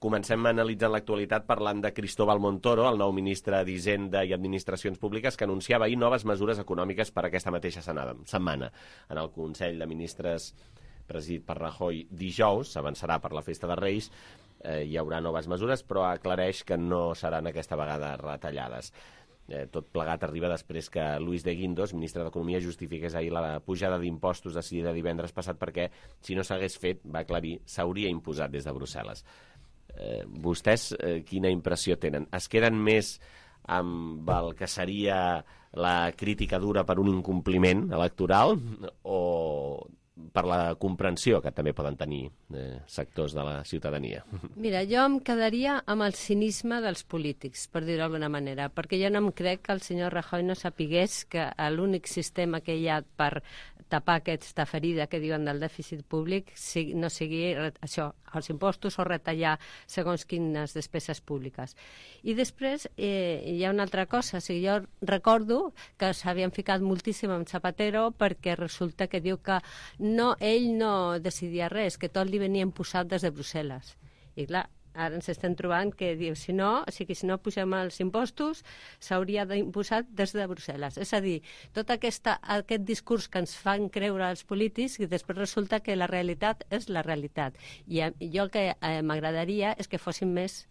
Comencem analitzant l'actualitat parlant de Cristóbal Montoro, el nou ministre d'Hisenda i Administracions Públiques, que anunciava ahir noves mesures econòmiques per aquesta mateixa setmana. En el Consell de Ministres presidit per Rajoy dijous, s'avançarà per la festa de Reis, hi haurà noves mesures, però aclareix que no seran aquesta vegada retallades. Tot plegat arriba després que Luis de Guindos, ministre d'Economia, justifiqués ahir la pujada d'impostos decidida divendres passat perquè, si no s'hagués fet, va aclarir, s'hauria imposat des de Brussel·les. Vostès quina impressió tenen? Es queden més amb el que seria la crítica dura per un incompliment electoral o per la comprensió que també poden tenir sectors de la ciutadania? Mira, jo em quedaria amb el cinisme dels polítics, per dir-ho d'alguna manera, perquè jo no em crec que el senyor Rajoy no sapigués que l'únic sistema que hi ha per tapar aquesta ferida que diuen del dèficit públic no sigui això, els impostos o retallar segons quines despeses públiques. I després hi ha una altra cosa, jo recordo que s'havien ficat moltíssim amb Zapatero perquè resulta que diu que ell no decidia res, que tot li venia imposat des de Brussel·les. I clar, ara ens estem trobant que diu, si no pugem els impostos, s'hauria d'imposar des de Brussel·les. És a dir, tot aquest discurs que ens fan creure els polítics i després resulta que la realitat és la realitat. I jo el que m'agradaria és que fossin més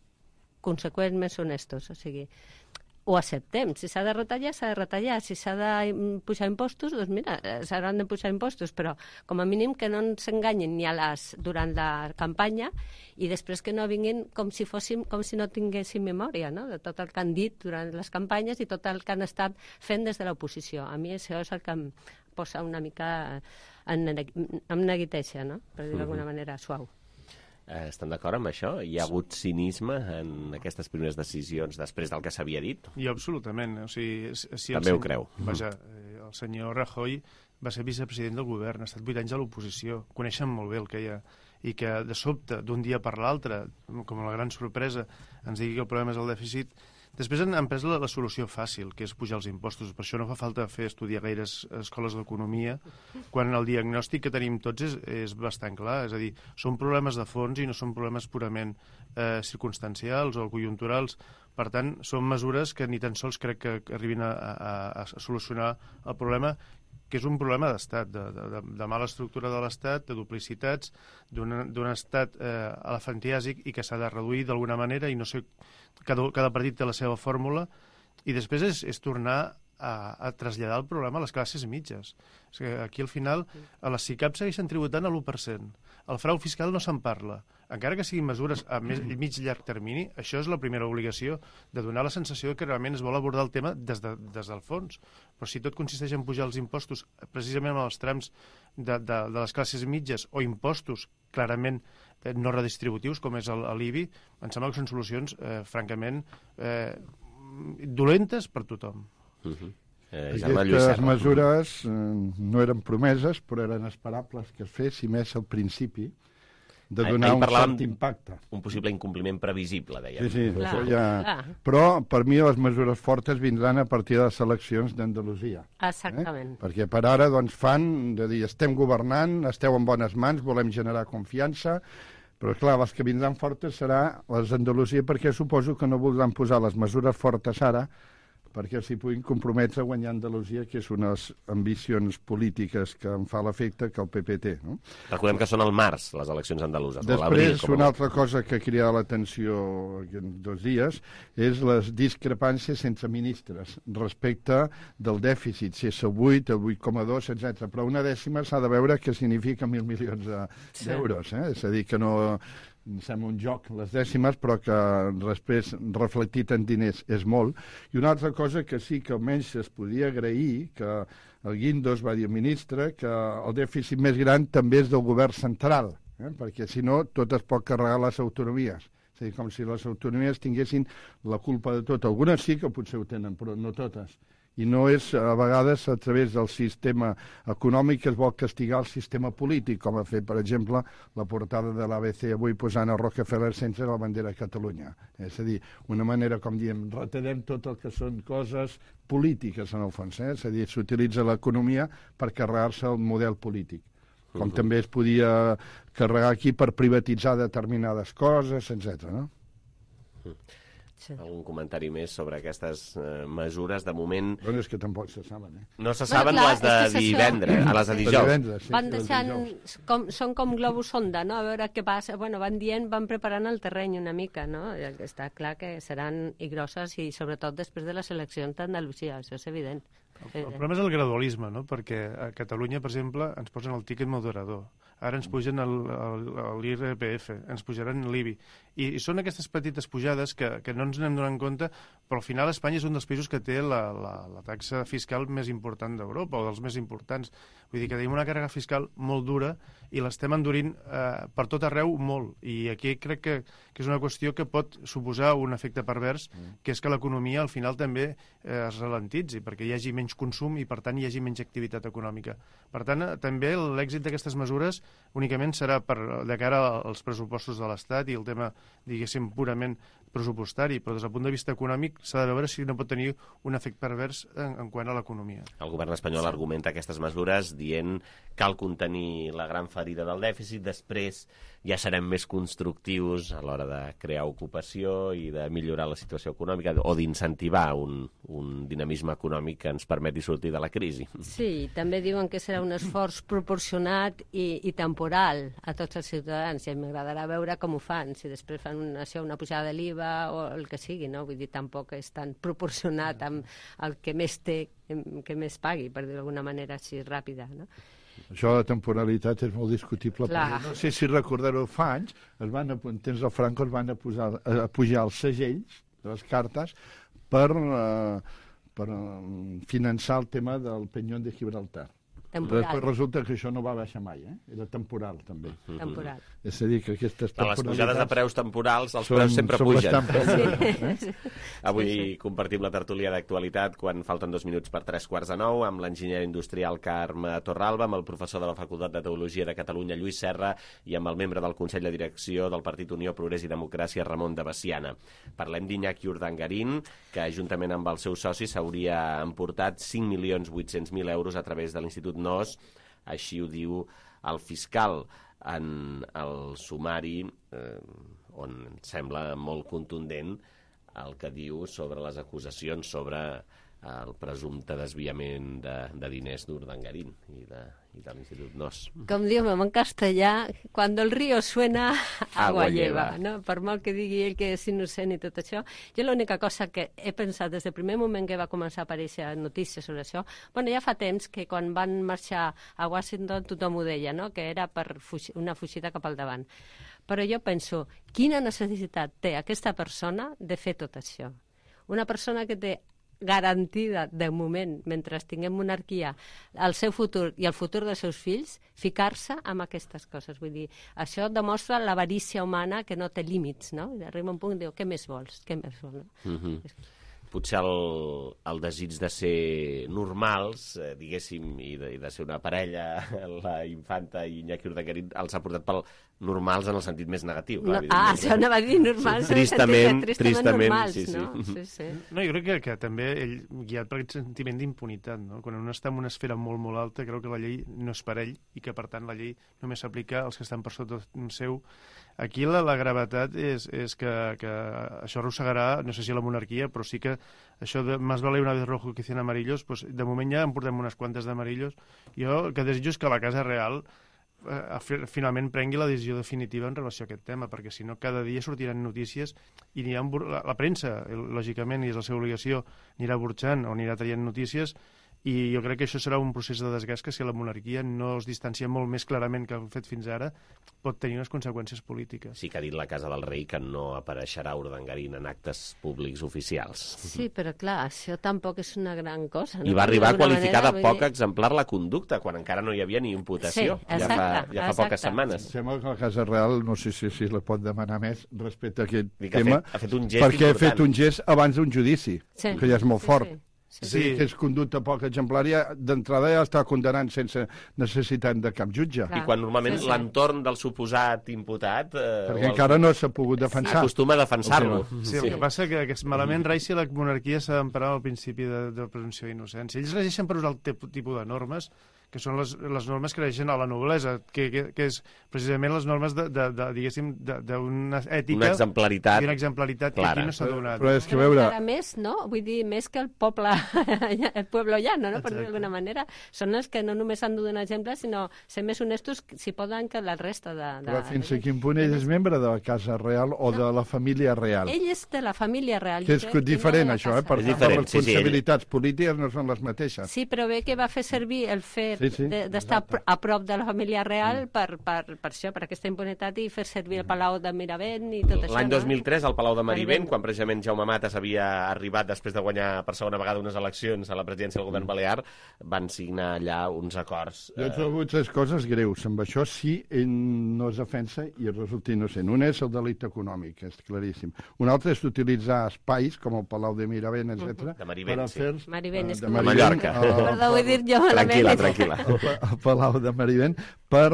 conseqüents, més honestos. O sigui, ho acceptem. Si s'ha de retallar, s'ha de retallar. Si s'ha de pujar impostos, doncs mira, s'hauran de pujar impostos, però com a mínim que no ens enganyin ni durant la campanya i després que no vinguin com si no tinguéssim memòria, no?, de tot el que han dit durant les campanyes i tot el que han estat fent des de l'oposició. A mi això és el que em posa una mica em neguiteja, no?, per dir-ho d'alguna manera suau. Estan d'acord amb això? Hi ha hagut cinisme en aquestes primeres decisions després del que s'havia dit? Jo absolutament. O sigui, també ho creu. Vaja, el senyor Rajoy va ser vicepresident del govern, ha estat 8 anys a l'oposició, coneixen molt bé el que hi ha, i que de sobte, d'un dia per l'altre, com la gran sorpresa, ens digui que el problema és el dèficit. Després han pres la solució fàcil, que és pujar els impostos. Per això no fa falta estudiar gaires escoles d'economia, quan el diagnòstic que tenim tots és bastant clar. És a dir, són problemes de fons i no són problemes purament circumstancials o conjunturals. Per tant, són mesures que ni tan sols crec que arribin a solucionar el problema, que és un problema d'estat, de mala estructura de l'estat, de duplicitats, d'un estat elefantiàsic i que s'ha de reduir d'alguna manera i no sé, cada partit té la seva fórmula i després és tornar a traslladar el problema a les classes mitges. És que aquí, al final, a les SICAP segueixen tributant a l'1%. El frau fiscal no se'n parla. Encara que siguin mesures a mig i llarg termini, això és la primera obligació, de donar la sensació que realment es vol abordar el tema des del fons. Però si tot consisteix en pujar els impostos precisament als trams de les classes mitges o impostos clarament no redistributius, com és l'IBI, em sembla que són solucions, francament, dolentes per tothom. Aquestes mesures no eren promeses, però eren esperables que es fes, i més al principi, de donar un cert impacte. Un possible incompliment previsible, dèiem. Sí, això ja... Però, per mi, les mesures fortes vindran a partir de les eleccions d'Andalusia. Exactament. Perquè per ara, doncs, fan de dir, estem governant, esteu en bones mans, volem generar confiança, però, clar, les que vindran fortes serà les d'Andalusia, perquè suposo que no voldran posar les mesures fortes ara, perquè s'hi puguin comprometre a guanyar Andalusia, que és una de les ambicions polítiques que em fa l'efecte que el PP té. No? Recordem que són al març, les eleccions andaluses. Després, una altra cosa que ha cridat l'atenció aquests 2 dies és les discrepàncies entre ministres respecte del dèficit, si és el 8, el 8,2, etc. Però una dècima s'ha de veure què significa 1.000 milions d'euros. És a dir, que no... sembla un joc, les dècimes, però que després reflectit en diners és molt. I una altra cosa que sí que almenys es podia agrair, que el Guindos va dir al ministre, que el dèficit més gran també és del govern central, perquè si no tot es pot carregar les autonomies. És a dir, com si les autonomies tinguessin la culpa de tot. Algunes sí que potser ho tenen, però no totes. I no és, a vegades, a través del sistema econòmic que es vol castigar el sistema polític, com ha fet, per exemple, la portada de l'ABC avui posant a Rockefeller Center la bandera de Catalunya. És a dir, una manera, com diem, retallem tot el que són coses polítiques, en el fons. És a dir, s'utilitza l'economia per carregar-se el model polític. Com també es podia carregar aquí per privatitzar determinades coses, etc. No? Algun comentari més sobre aquestes mesures? De moment... Bueno, és que tampoc se saben, No se saben les de divendres, a les de dijous. Van deixant... Són com globus sonda, no? A veure què passa. Bueno, van dient, van preparant el terreny una mica, no? Està clar que seran i grosses, i sobretot després de les eleccions d'Andalusia, això és evident. El problema és el gradualisme, no? Perquè a Catalunya, per exemple, ens posen el tíquet moderador. Ara ens pugen l'IRPF, ens pujaran l'IBI. I són aquestes petites pujades que no ens n'hem donat compte, però al final Espanya és un dels països que té la taxa fiscal més important d'Europa, o dels més importants. Vull dir que tenim una càrrega fiscal molt dura i l'estem endurint per tot arreu molt. I aquí crec que és una qüestió que pot suposar un efecte pervers, que és que l'economia al final també es ralentitzi, perquè hi hagi menys consum i, per tant, hi hagi menys activitat econòmica. Per tant, també l'èxit d'aquestes mesures únicament serà de cara als pressupostos de l'Estat i el tema, diguéssim, purament pressupostari, però des del punt de vista econòmic s'ha de veure si no pot tenir un efecte pervers en quant a l'economia. El govern espanyol argumenta aquestes mesures dient que cal contenir la gran ferida del dèficit, després ja serem més constructius a l'hora de crear ocupació i de millorar la situació econòmica o d'incentivar un dinamisme econòmic que ens permeti sortir de la crisi. Sí, també diuen que serà un esforç proporcionat i temporal a tots els ciutadans, i m'agradarà veure com ho fan, si després fan una pujada de l'IVA o el que sigui, no? Vull dir, tampoc és tan proporcionat amb el que més té, que més pagui, per dir d'alguna manera així ràpida, no? Això de temporalitat és molt discutible. No sé si recordareu, fa anys, en temps del Franco es van pujar els segells de les cartes per finançar el tema del Peñón de Gibraltar. Després resulta que això no va baixar mai, era temporal també. Temporal. És a dir, que aquestes temporalitats... Les pujades de preus temporals, els preus sempre pugen. Avui compartim la tertúlia d'actualitat quan falten 2 minuts per 3:45 amb l'enginyer industrial Carme Torralba, amb el professor de la Facultat de Teologia de Catalunya Lluís Serra i amb el membre del Consell de Direcció del Partit Unió, Progrés i Democràcia Ramon de Veciana. Parlem d'Iñaki Urdangarín, que juntament amb els seus socis s'hauria emportat 5.800.000 euros a través de l'Institut NOS, així ho diu el fiscal en el sumari, on sembla molt contundent el que diu sobre les acusacions sobre el presumpte desviament de diners d'Urdangarín i de l'Institut NOS. Com diu en castellà, cuando el río suena, agua lleva, no? Per molt que digui ell que és innocent i tot això. Jo l'única cosa que he pensat des del primer moment que va començar a aparèixer notícies sobre això, bueno, ja fa temps que quan van marxar a Washington tothom ho deia, no? Que era per una fugida cap al davant. Però jo penso, quina necessitat té aquesta persona de fer tot això? Una persona que té garantida, de moment, mentre tinguem monarquia, el seu futur i el futur dels seus fills, ficar-se amb aquestes coses. Vull dir, això demostra l'avarícia humana que no té límits, no? I arriba un punt i diu, què més vols? Què més vols, no? Potser el desig de ser normals, diguéssim, i de ser una parella, la infanta i Iñaki Urdangarín, els ha portat pel normals en el sentit més negatiu. No, això anava a dir normals, tristament normals, sí. No? Sí. No, jo crec que també ell, guiat per aquest sentiment d'impunitat, no? Quan un està en una esfera molt, molt alta, creu que la llei no és per ell i que, per tant, la llei només s'aplica als que estan per sota seu. Aquí la gravetat és que això arrossegarà, no sé si la monarquia, però sí que això de más vale una vez rojo que 100 amarillos, pues, de moment ja en portem unes quantes d'amarillos. Jo que desitjo és que la Casa Real finalment prengui la decisió definitiva en relació a aquest tema, perquè si no cada dia sortiran notícies i la premsa, lògicament, i és la seva obligació, anirà burxant o anirà traient notícies, i jo crec que això serà un procés de desgast que si la monarquia no es distancia molt més clarament que ha fet fins ara, pot tenir unes conseqüències polítiques. Sí que ha dit la Casa del Rei que no apareixerà Urdangarín en actes públics oficials. Sí, però clar, això tampoc és una gran cosa. I va arribar a qualificar de poc exemplar la conducta, quan encara no hi havia ni imputació. Sí, exacte, ja fa poques setmanes. Sembla que la Casa Real, no sé si la pot demanar més respecte a aquest tema, ha fet un gest perquè important. ha fet un gest abans d'un judici, que ja és molt fort. Sí. Que és conducta poc exemplària, d'entrada ja està condenant sense necessitat de cap jutge. I quan normalment l'entorn del suposat imputat... perquè encara no s'ha pogut defensar. Acostuma a defensar-lo. Sí, el que passa que malament rai si la monarquia s'ha d'emparar al principi de presumpció d'innocència. Ells regeixen per usar el tipus de normes que són les normes que regeixen a la noblesa, que és precisament les normes diguéssim, d'una ètica... Una exemplaritat. I una exemplaritat que aquí no s'ha donat. Però és que veure... Encara més, no? Vull dir, més que el poble llano, no? Per dir d'alguna manera. Són els que no només han de donar exemples, sinó ser més honestos, si poden, que la resta de... Però fins a quin punt ell és membre de la Casa Real o de la família real? Ell és de la família real. Que és diferent, això, per tant, les responsabilitats polítiques no són les mateixes. Sí, però bé que va fer servir el fet d'estar a prop de la família real per això, per aquesta impunitat, i fer servir el Palau de Miravent i tot això. L'any 2003, al Palau de Marivent, quan precisament Jaume Matas havia arribat després de guanyar per segona vegada unes eleccions a la presidència del govern balear, van signar allà uns acords. Jo he trobat tres coses greus. Amb això sí, ell no es defensa i resulta innocent. Un és el delicte econòmic, és claríssim. Un altre és utilitzar espais, com el Palau de Miravent, etc. De Marivent, sí. Marivent, és de Mallorca. Perdó, ho he dit jo malament. Tranquil·la. El Palau de Marivent per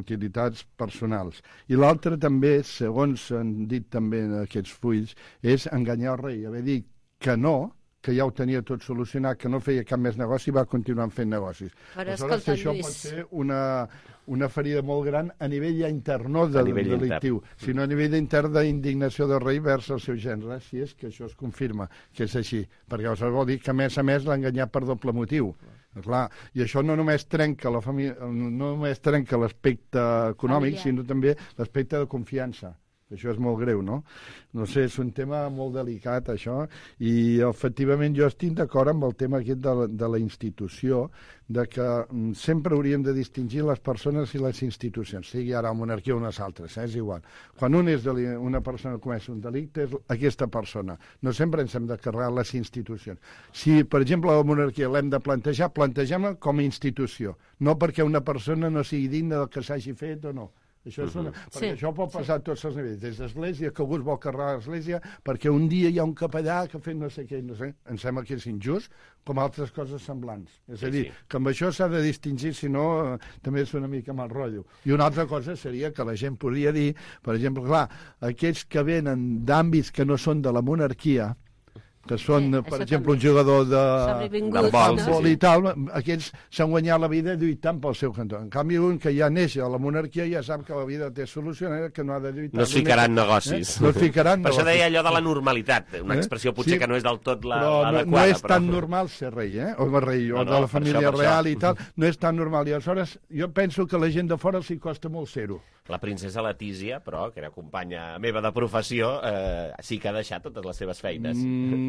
utilitats personals. I l'altre també, segons han dit també en aquests fulls, és enganyar el rei, haver dit que no, que ja ho tenia tot solucionat, que no feia cap més negoci i va continuar fent negocis. Però escolta, això pot ser una ferida molt gran a nivell ja intern, no delictiu, sinó a nivell intern d'indignació del rei vers el seu gènere, si és que això es confirma que és així, perquè aleshores vol dir que a més l'ha enganyat per doble motiu. Clar, i això no només trenca la família, no només trenca l'aspecte econòmic, sinó també l'aspecte de confiança. Això és molt greu, no? No sé, és un tema molt delicat, això, i efectivament jo estic d'acord amb el tema aquest de la institució, de que sempre hauríem de distingir les persones i les institucions, sigui ara la monarquia o unes altres, és igual. Quan una persona comeix un delicte, és aquesta persona. No sempre ens hem de carregar les institucions. Si, per exemple, la monarquia l'hem de plantejar, plantegem-la com a institució, no perquè una persona no sigui digna del que s'hagi fet o no. Això és perquè això pot passar a tots els nivells, des d'església, que algú es vol carregar l'església, perquè un dia hi ha un capellà que ha fet no sé què, no sé, em sembla que és injust, com altres coses semblants. És a dir, que amb això s'ha de distingir, si no, també és una mica mal rotllo. I una altra cosa seria que la gent podria dir, per exemple, clar, aquells que venen d'àmbits que no són de la monarquia, que són, per exemple, un jugador de futbol i tal, aquests s'han guanyat la vida lluitant pel seu cantó. En canvi, un que ja neix a la monarquia ja sap que la vida té solucionada, que no ha de lluitar. No es ficaran negocis. No es ficaran per això deia allò de la normalitat, una expressió potser que no és del tot l'adequada. No és tan normal ser rei, o rei, o de la família real i tal, no és tan normal. I aleshores jo penso que la gent de fora s'hi costa molt ser-ho. La princesa Letícia, però, que era companya meva de professió, sí que ha deixat totes les seves feines.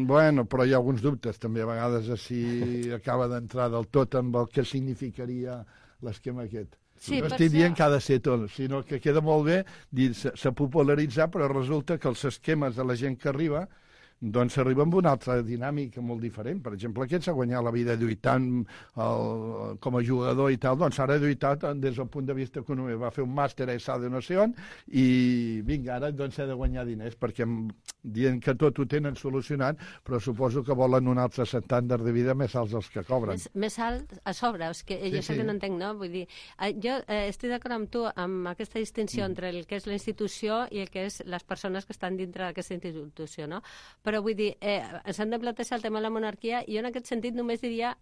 Bueno, però hi ha alguns dubtes, també a vegades si acaba d'entrar del tot amb el que significaria l'esquema aquest. Sí, no estic dient que ha de ser tot, sinó que queda molt bé dir s'ha popularitzat, però resulta que els esquemes de la gent que arriba doncs s'arriba amb una altra dinàmica molt diferent. Per exemple, aquest s'ha guanyat la vida lluitant com a jugador i tal, doncs ara ha lluitat des del punt de vista econòmic. Va fer un màster a ESA de no sé on i vinga, ara doncs s'ha de guanyar diners perquè dient que tot ho tenen solucionat, però suposo que volen un altre estàndard de vida més alts dels que cobren. Més alt a sobre, és que jo sé que no entenc, no? Vull dir, jo estic d'acord amb tu amb aquesta distinció entre el que és la institució i el que és les persones que estan dintre d'aquesta institució, no? Però vull dir, ens han de plantejar el tema de la monarquia i jo en aquest sentit només diria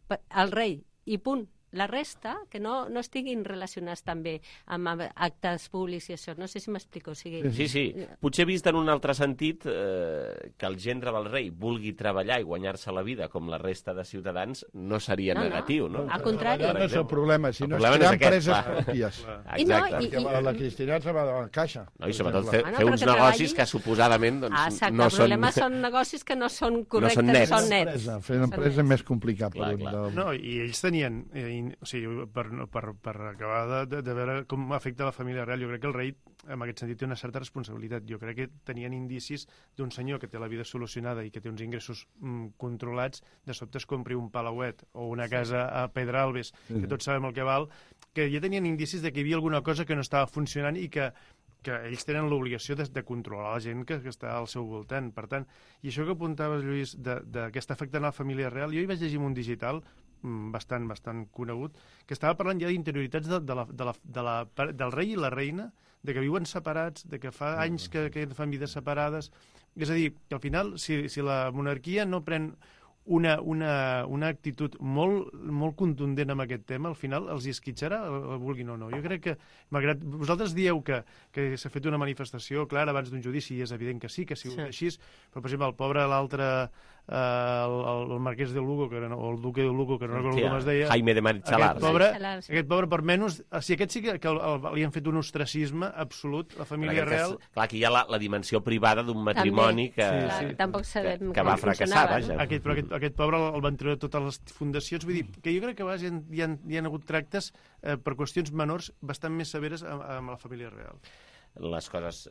el rei i punt. La resta, que no estiguin relacionats també amb actes públics i això. No sé si m'explico. Sí. Potser vist en un altre sentit que el gendre del rei vulgui treballar i guanyar-se la vida com la resta de ciutadans no seria negatiu, no? Al contrari. No és el problema, sinó és crear empreses pròpies. Exacte. Perquè la cristianitat se va de la caixa. I sobretot fer uns negocis que suposadament no són... El problema són negocis que no són correctes, no són nets. Fer una empresa és més complicat. No, i ells tenien... O sigui, per acabar de veure com afecta la família real, jo crec que el rei en aquest sentit té una certa responsabilitat. Jo crec que tenien indicis d'un senyor que té la vida solucionada i que té uns ingressos controlats, de sobte es compri un palauet o una casa a Pedralbes, que tots sabem el que val, que ja tenien indicis de que hi havia alguna cosa que no estava funcionant i que ells tenen l'obligació de controlar la gent que està al seu voltant. Per tant, i això que apuntaves, Lluís, que està afectant a la família real, jo hi vaig llegir un digital bastant conegut, que estava parlant ja d'interioritats del rei i la reina, de que viuen separats, de que fa anys que fan vides separades. És a dir, que al final, si la monarquia no pren una actitud molt contundent amb aquest tema, al final els hi esquitxarà, el vulguin o no. Jo crec que, malgrat vosaltres dieu que s'ha fet una manifestació clara abans d'un judici, i és evident que sí, que ha sigut així, però, per exemple, el pobre, l'altre, el marquès de Lugo, o el duque de Lugo, que no recordo com es deia, Jaime de Marichalar. Aquest pobre, per menys, si aquest sí que li han fet un ostracisme absolut, la família real... Clar, aquí hi ha la dimensió privada d'un matrimoni que va fracassar, vaja. Aquest pobre el van treure totes les fundacions. Vull dir, que jo crec que hi han hagut tractes per qüestions menors bastant més severes amb la família real. Les coses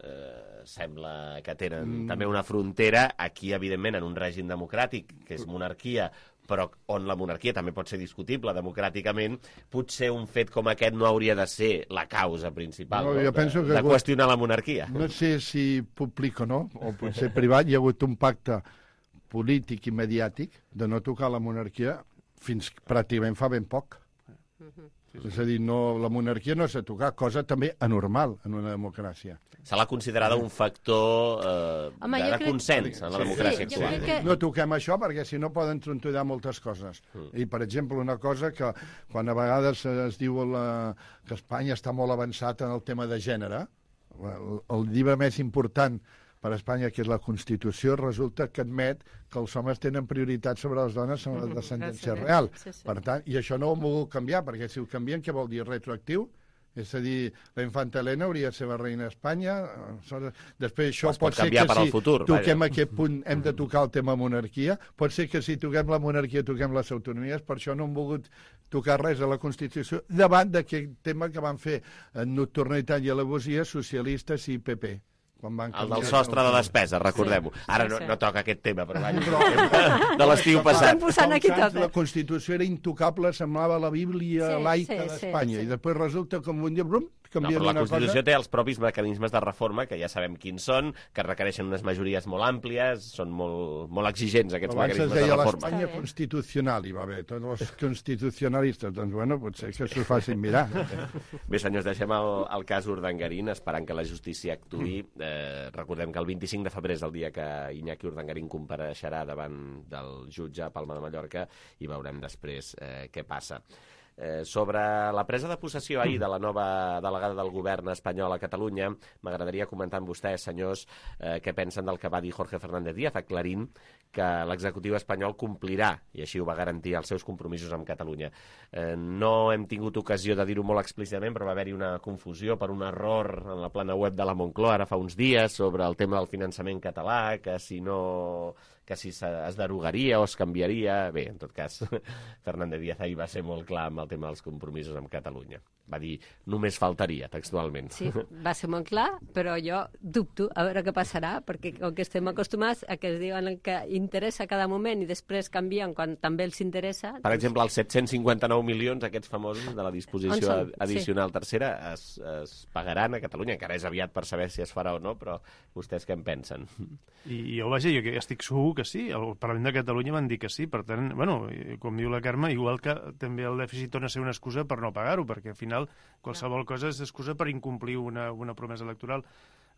sembla que tenen també una frontera, aquí, evidentment, en un règim democràtic, que és monarquia, però on la monarquia també pot ser discutible democràticament, potser un fet com aquest no hauria de ser la causa principal de qüestionar la monarquia. No sé si públic o no, o potser privat, hi ha hagut un pacte polític i mediàtic de no tocar la monarquia fins pràcticament fa ben poc. És a dir, la monarquia no s'ha tocat, cosa també anormal en una democràcia. Se l'ha considerada un factor de consens en la democràcia actual. No toquem això perquè si no poden trontollar moltes coses. I, per exemple, una cosa que quan a vegades es diu que Espanya està molt avançat en el tema de gènere, el llibre més important per a Espanya, que és la Constitució, resulta que admet que els homes tenen prioritat sobre les dones en la descendència real. Per tant, i això no ho han volgut canviar, perquè si ho canvien, què vol dir? Retroactiu? És a dir, la infanta Helena hauria de ser la reina d'Espanya. Després això pot ser que si toquem aquest punt hem de tocar el tema monarquia. Pot ser que si toquem la monarquia toquem les autonomies. Per això no han volgut tocar res a la Constitució davant d'aquest tema que van fer en nocturnitat i alevosia socialistes i PP. El del sostre de despesa, recordem-ho. Ara no toca aquest tema, però de l'estiu passat. La Constitució era intocable, semblava la Bíblia laica d'Espanya, i després resulta que un dia canvien però la una cosa... Constitució té els propis mecanismes de reforma, que ja sabem quins són, que requereixen unes majories molt àmplies, són molt exigents aquests mecanismes de reforma. Abans es deia l'Espanya constitucional, i va bé, tots els constitucionalistes, doncs bueno, potser que s'ho facin mirar. Bé, senyors, deixem el cas Urdangarín, esperant que la justícia actuï. Recordem que el 25 de febrer és el dia que Iñaki Urdangarín compareixerà davant del jutge a Palma de Mallorca i veurem després què passa. Sobre la presa de possessió ahir de la nova delegada del govern espanyol a Catalunya, m'agradaria comentar amb vostès, senyors, què pensen del que va dir Jorge Fernández Díaz, aclarint que l'executiu espanyol complirà, i així ho va garantir, els seus compromisos amb Catalunya. No hem tingut ocasió de dir-ho molt explícitament, però va haver-hi una confusió per un error en la plana web de la Moncloa ara fa uns dies sobre el tema del finançament català, que si es derogaria o es canviaria... Bé, en tot cas, Fernández Díaz ahir va ser molt clar amb el tema dels compromisos amb Catalunya. Va dir, només faltaria, textualment. Sí, va ser molt clar, però jo dubto a veure què passarà, perquè com que estem acostumats a que es diuen que interessa cada moment i després canvien quan també els interessa... Per exemple, els 759 milions, aquests famosos, de la disposició addicional tercera, es pagaran a Catalunya. Encara és aviat per saber si es farà o no, però vostès què en pensen? I jo, vaja, jo estic segur que sí. El Parlament de Catalunya van dir que sí. Per tant, bueno, com diu la Carme, igual que també el dèficit torna a ser una excusa per no pagar-ho, perquè al final qualsevol cosa és excusa per incomplir una promesa electoral.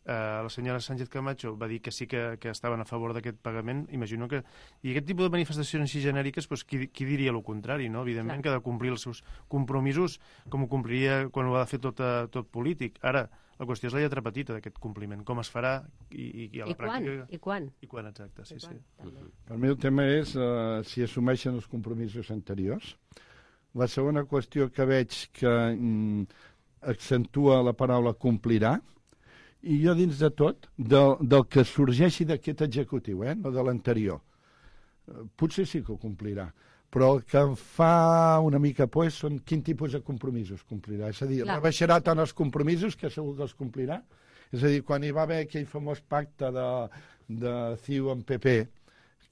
La senyora Sánchez Camacho va dir que sí que estaven a favor d'aquest pagament. Imagino que... I aquest tipus de manifestacions així genèriques, doncs, qui diria el contrari, no? Evidentment que ha de complir els seus compromisos com ho compliria quan ho ha de fer tot polític. Ara, la qüestió és la lletra petita d'aquest compliment. Com es farà i a la pràctica... I quan? I quan, exacte, sí. Per mi el tema és si assumeixen els compromisos anteriors. La segona qüestió que veig que accentua la paraula complirà, i jo dins de tot, del que sorgeixi d'aquest executiu, no de l'anterior, potser sí que ho complirà, però el que em fa una mica por són quin tipus de compromisos complirà. És a dir, rebaixarà tant els compromisos que segur que els complirà. És a dir, quan hi va haver aquell famós pacte de CiU amb PP,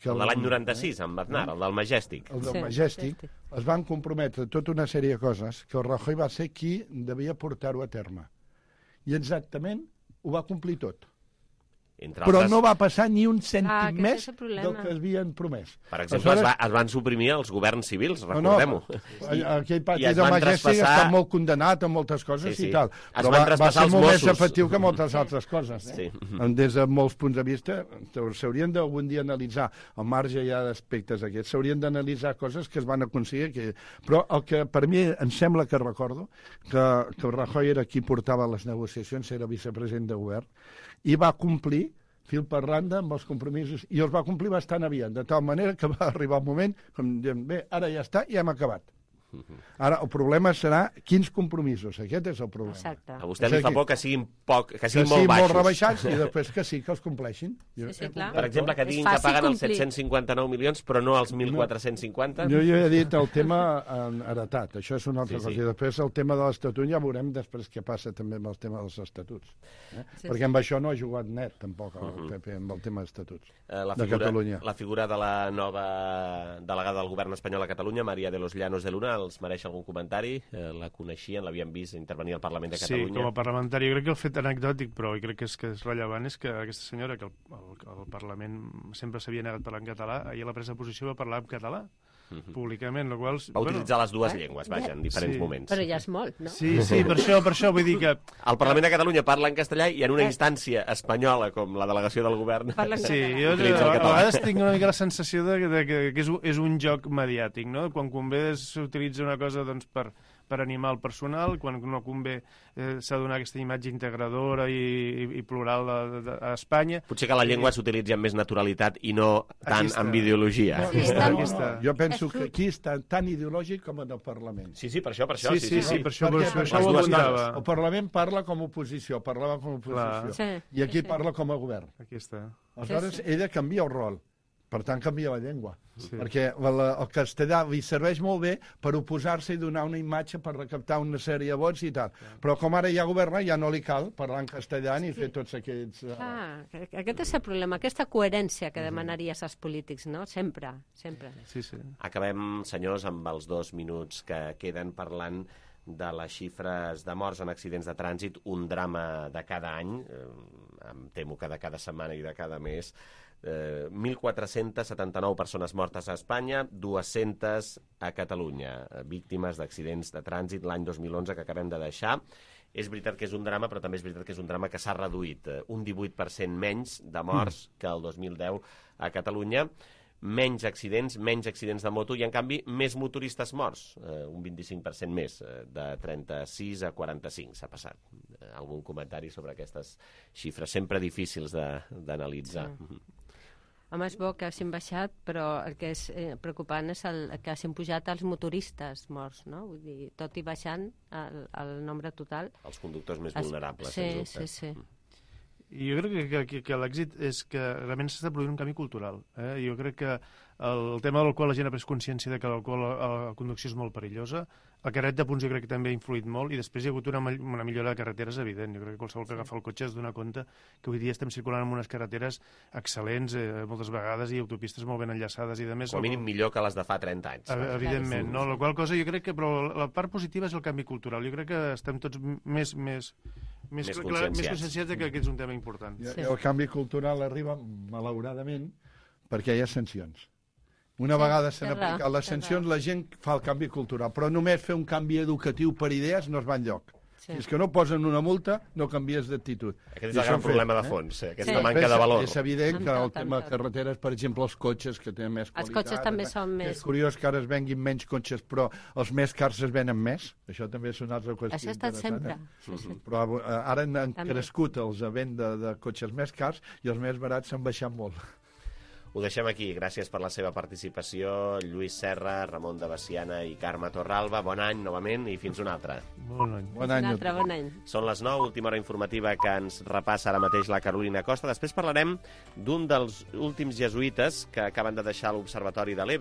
el de l'any 96, amb Aznar, el del Majestic. El del Majestic. Es van comprometre tota una sèrie de coses que el Rajoy va ser qui devia portar-ho a terme. I exactament ho va complir tot. Però no va passar ni un cèntim més del que havien promès. Per exemple, es van suprimir els governs civils, recordem-ho. Aquell pati de Majestic està molt condenat a moltes coses i tal. Però va ser molt més efectiu que moltes altres coses. Des de molts punts de vista, s'haurien d'algun dia analitzar, al marge ja d'aspectes aquests, s'haurien d'analitzar coses que es van aconseguir. Però el que per mi em sembla que recordo, que el Rajoy era qui portava les negociacions, era vicepresident de govern, i va complir fil per randa amb els compromisos, i els va complir bastant aviat, de tal manera que va arribar un moment com diem, bé, ara ja està, ja hem acabat. Ara, el problema serà quins compromisos. Aquest és el problema. Exacte. A vostè li fa por que siguin molt baixos. Molt rebaixats i després que sí, que els compleixin. Sí, clar. Per exemple, que diguin que paguen els 759 milions però no els 1.450. Jo ja he dit el tema heretat. Això és una altra cosa. I després el tema de l'Estatut ja veurem després què passa també amb el tema dels estatuts. Perquè amb això no ha jugat net, tampoc, el PP, amb el tema d'estatuts de Catalunya. La figura de la nova delegada del govern espanyol a Catalunya, María de los Llanos de Luna, els mereix algun comentari? La coneixien, l'havien vist intervenir al Parlament de Catalunya? Sí, com a parlamentari. Jo crec que el fet anecdòtic, però crec que és rellevant, és que aquesta senyora, que el Parlament sempre s'havia negat a parlar en català, ahir a la presa de posició va parlar en català, públicament, la qual... Va utilitzar les dues llengües, vaja, en diferents moments. Però ja és molt, no? Sí, per això vull dir que... El Parlament de Catalunya parla en castellà i en una instància espanyola, com la delegació del govern, sí, jo a vegades tinc una mica la sensació que és un joc mediàtic, no? Quan convé s'utilitza una cosa doncs, per animar el personal, quan no convé s'ha de donar aquesta imatge integradora i plural a Espanya. Potser que la llengua s'utilitzi amb més naturalitat i no tant amb ideologia. Jo penso que aquí està tan ideològic com en el Parlament. Sí, per això. Sí, per això ho apuntava. El Parlament parla com a oposició, parlava com a oposició. I aquí parla com a govern. Aquí està. Aleshores, ella canvia el rol. Per tant, canvia la llengua. Perquè el castellà li serveix molt bé per oposar-se i donar una imatge per recaptar una sèrie de vots i tal. Però com ara ja governa, ja no li cal parlar en castellà ni fer tots aquests... Aquest és el problema, aquesta coherència que demanaries als polítics, no? Sempre. Acabem, senyors, amb els 2 minuts que queden parlant de les xifres de morts en accidents de trànsit, un drama de cada any, em temo que de cada setmana i de cada mes. 1.479 persones mortes a Espanya, 200 a Catalunya, víctimes d'accidents de trànsit l'any 2011 que acabem de deixar. És veritat que és un drama, però també és veritat que és un drama que s'ha reduït, un 18% menys de morts que el 2010 a Catalunya, menys accidents de moto i, en canvi, més motoristes morts, un 25% més, de 36 a 45 s'ha passat. Algun comentari sobre aquestes xifres, sempre difícils d'analitzar. Sí. Home, és bo que hagin baixat, però el que és preocupant és que hagin pujat els motoristes morts, no? Vull dir, tot i baixant el nombre total. Els conductors més vulnerables, sí, sí, sí. I jo crec que l'èxit és que realment s'està produint un canvi cultural. Jo crec que el tema de l'alcohol, la gent ha pres consciència de que l'alcohol a la conducció és molt perillosa. El carnet de punts jo crec que també ha influït molt i després hi ha hagut una millora de carreteres evident. Jo crec que qualsevol que agafa el cotxe es dona compte que avui dia estem circulant en unes carreteres excel·lents moltes vegades i autopistes molt ben enllaçades i de més. Com a mínim millor que les de fa 30 anys. Evidentment, no? La qual cosa jo crec que... Però la part positiva és el canvi cultural. Jo crec que estem tots més conscienciats que és un tema important. El canvi cultural arriba, malauradament, perquè hi ha sancions. Una vegada s'han aplicat les sancions, la gent fa el canvi cultural, però només fer un canvi educatiu per idees no es va enlloc. Si és que no posen una multa, no canvies d'actitud. Aquest és el gran problema de fons, aquesta manca de valor. És evident que el tema de carreteres, per exemple, els cotxes, que tenen més qualitat... Els cotxes també són més... És curiós que ara es venguin menys cotxes, però els més cars es venen més. Això també és una altra qüestió interessant. Això ha estat sempre. Però ara han crescut els de venda de cotxes més cars i els més barats s'han baixat molt. Ho deixem aquí. Gràcies per la seva participació. Lluís Serra, Ramon de Veciana i Carme Torralba. Bon any, novament, i fins un altre. Bon any. Bon any. Són les 9, última hora informativa que ens repassa ara mateix la Carolina Costa. Després parlarem d'un dels últims jesuïtes que acaben de deixar l'Observatori de l'Ebre.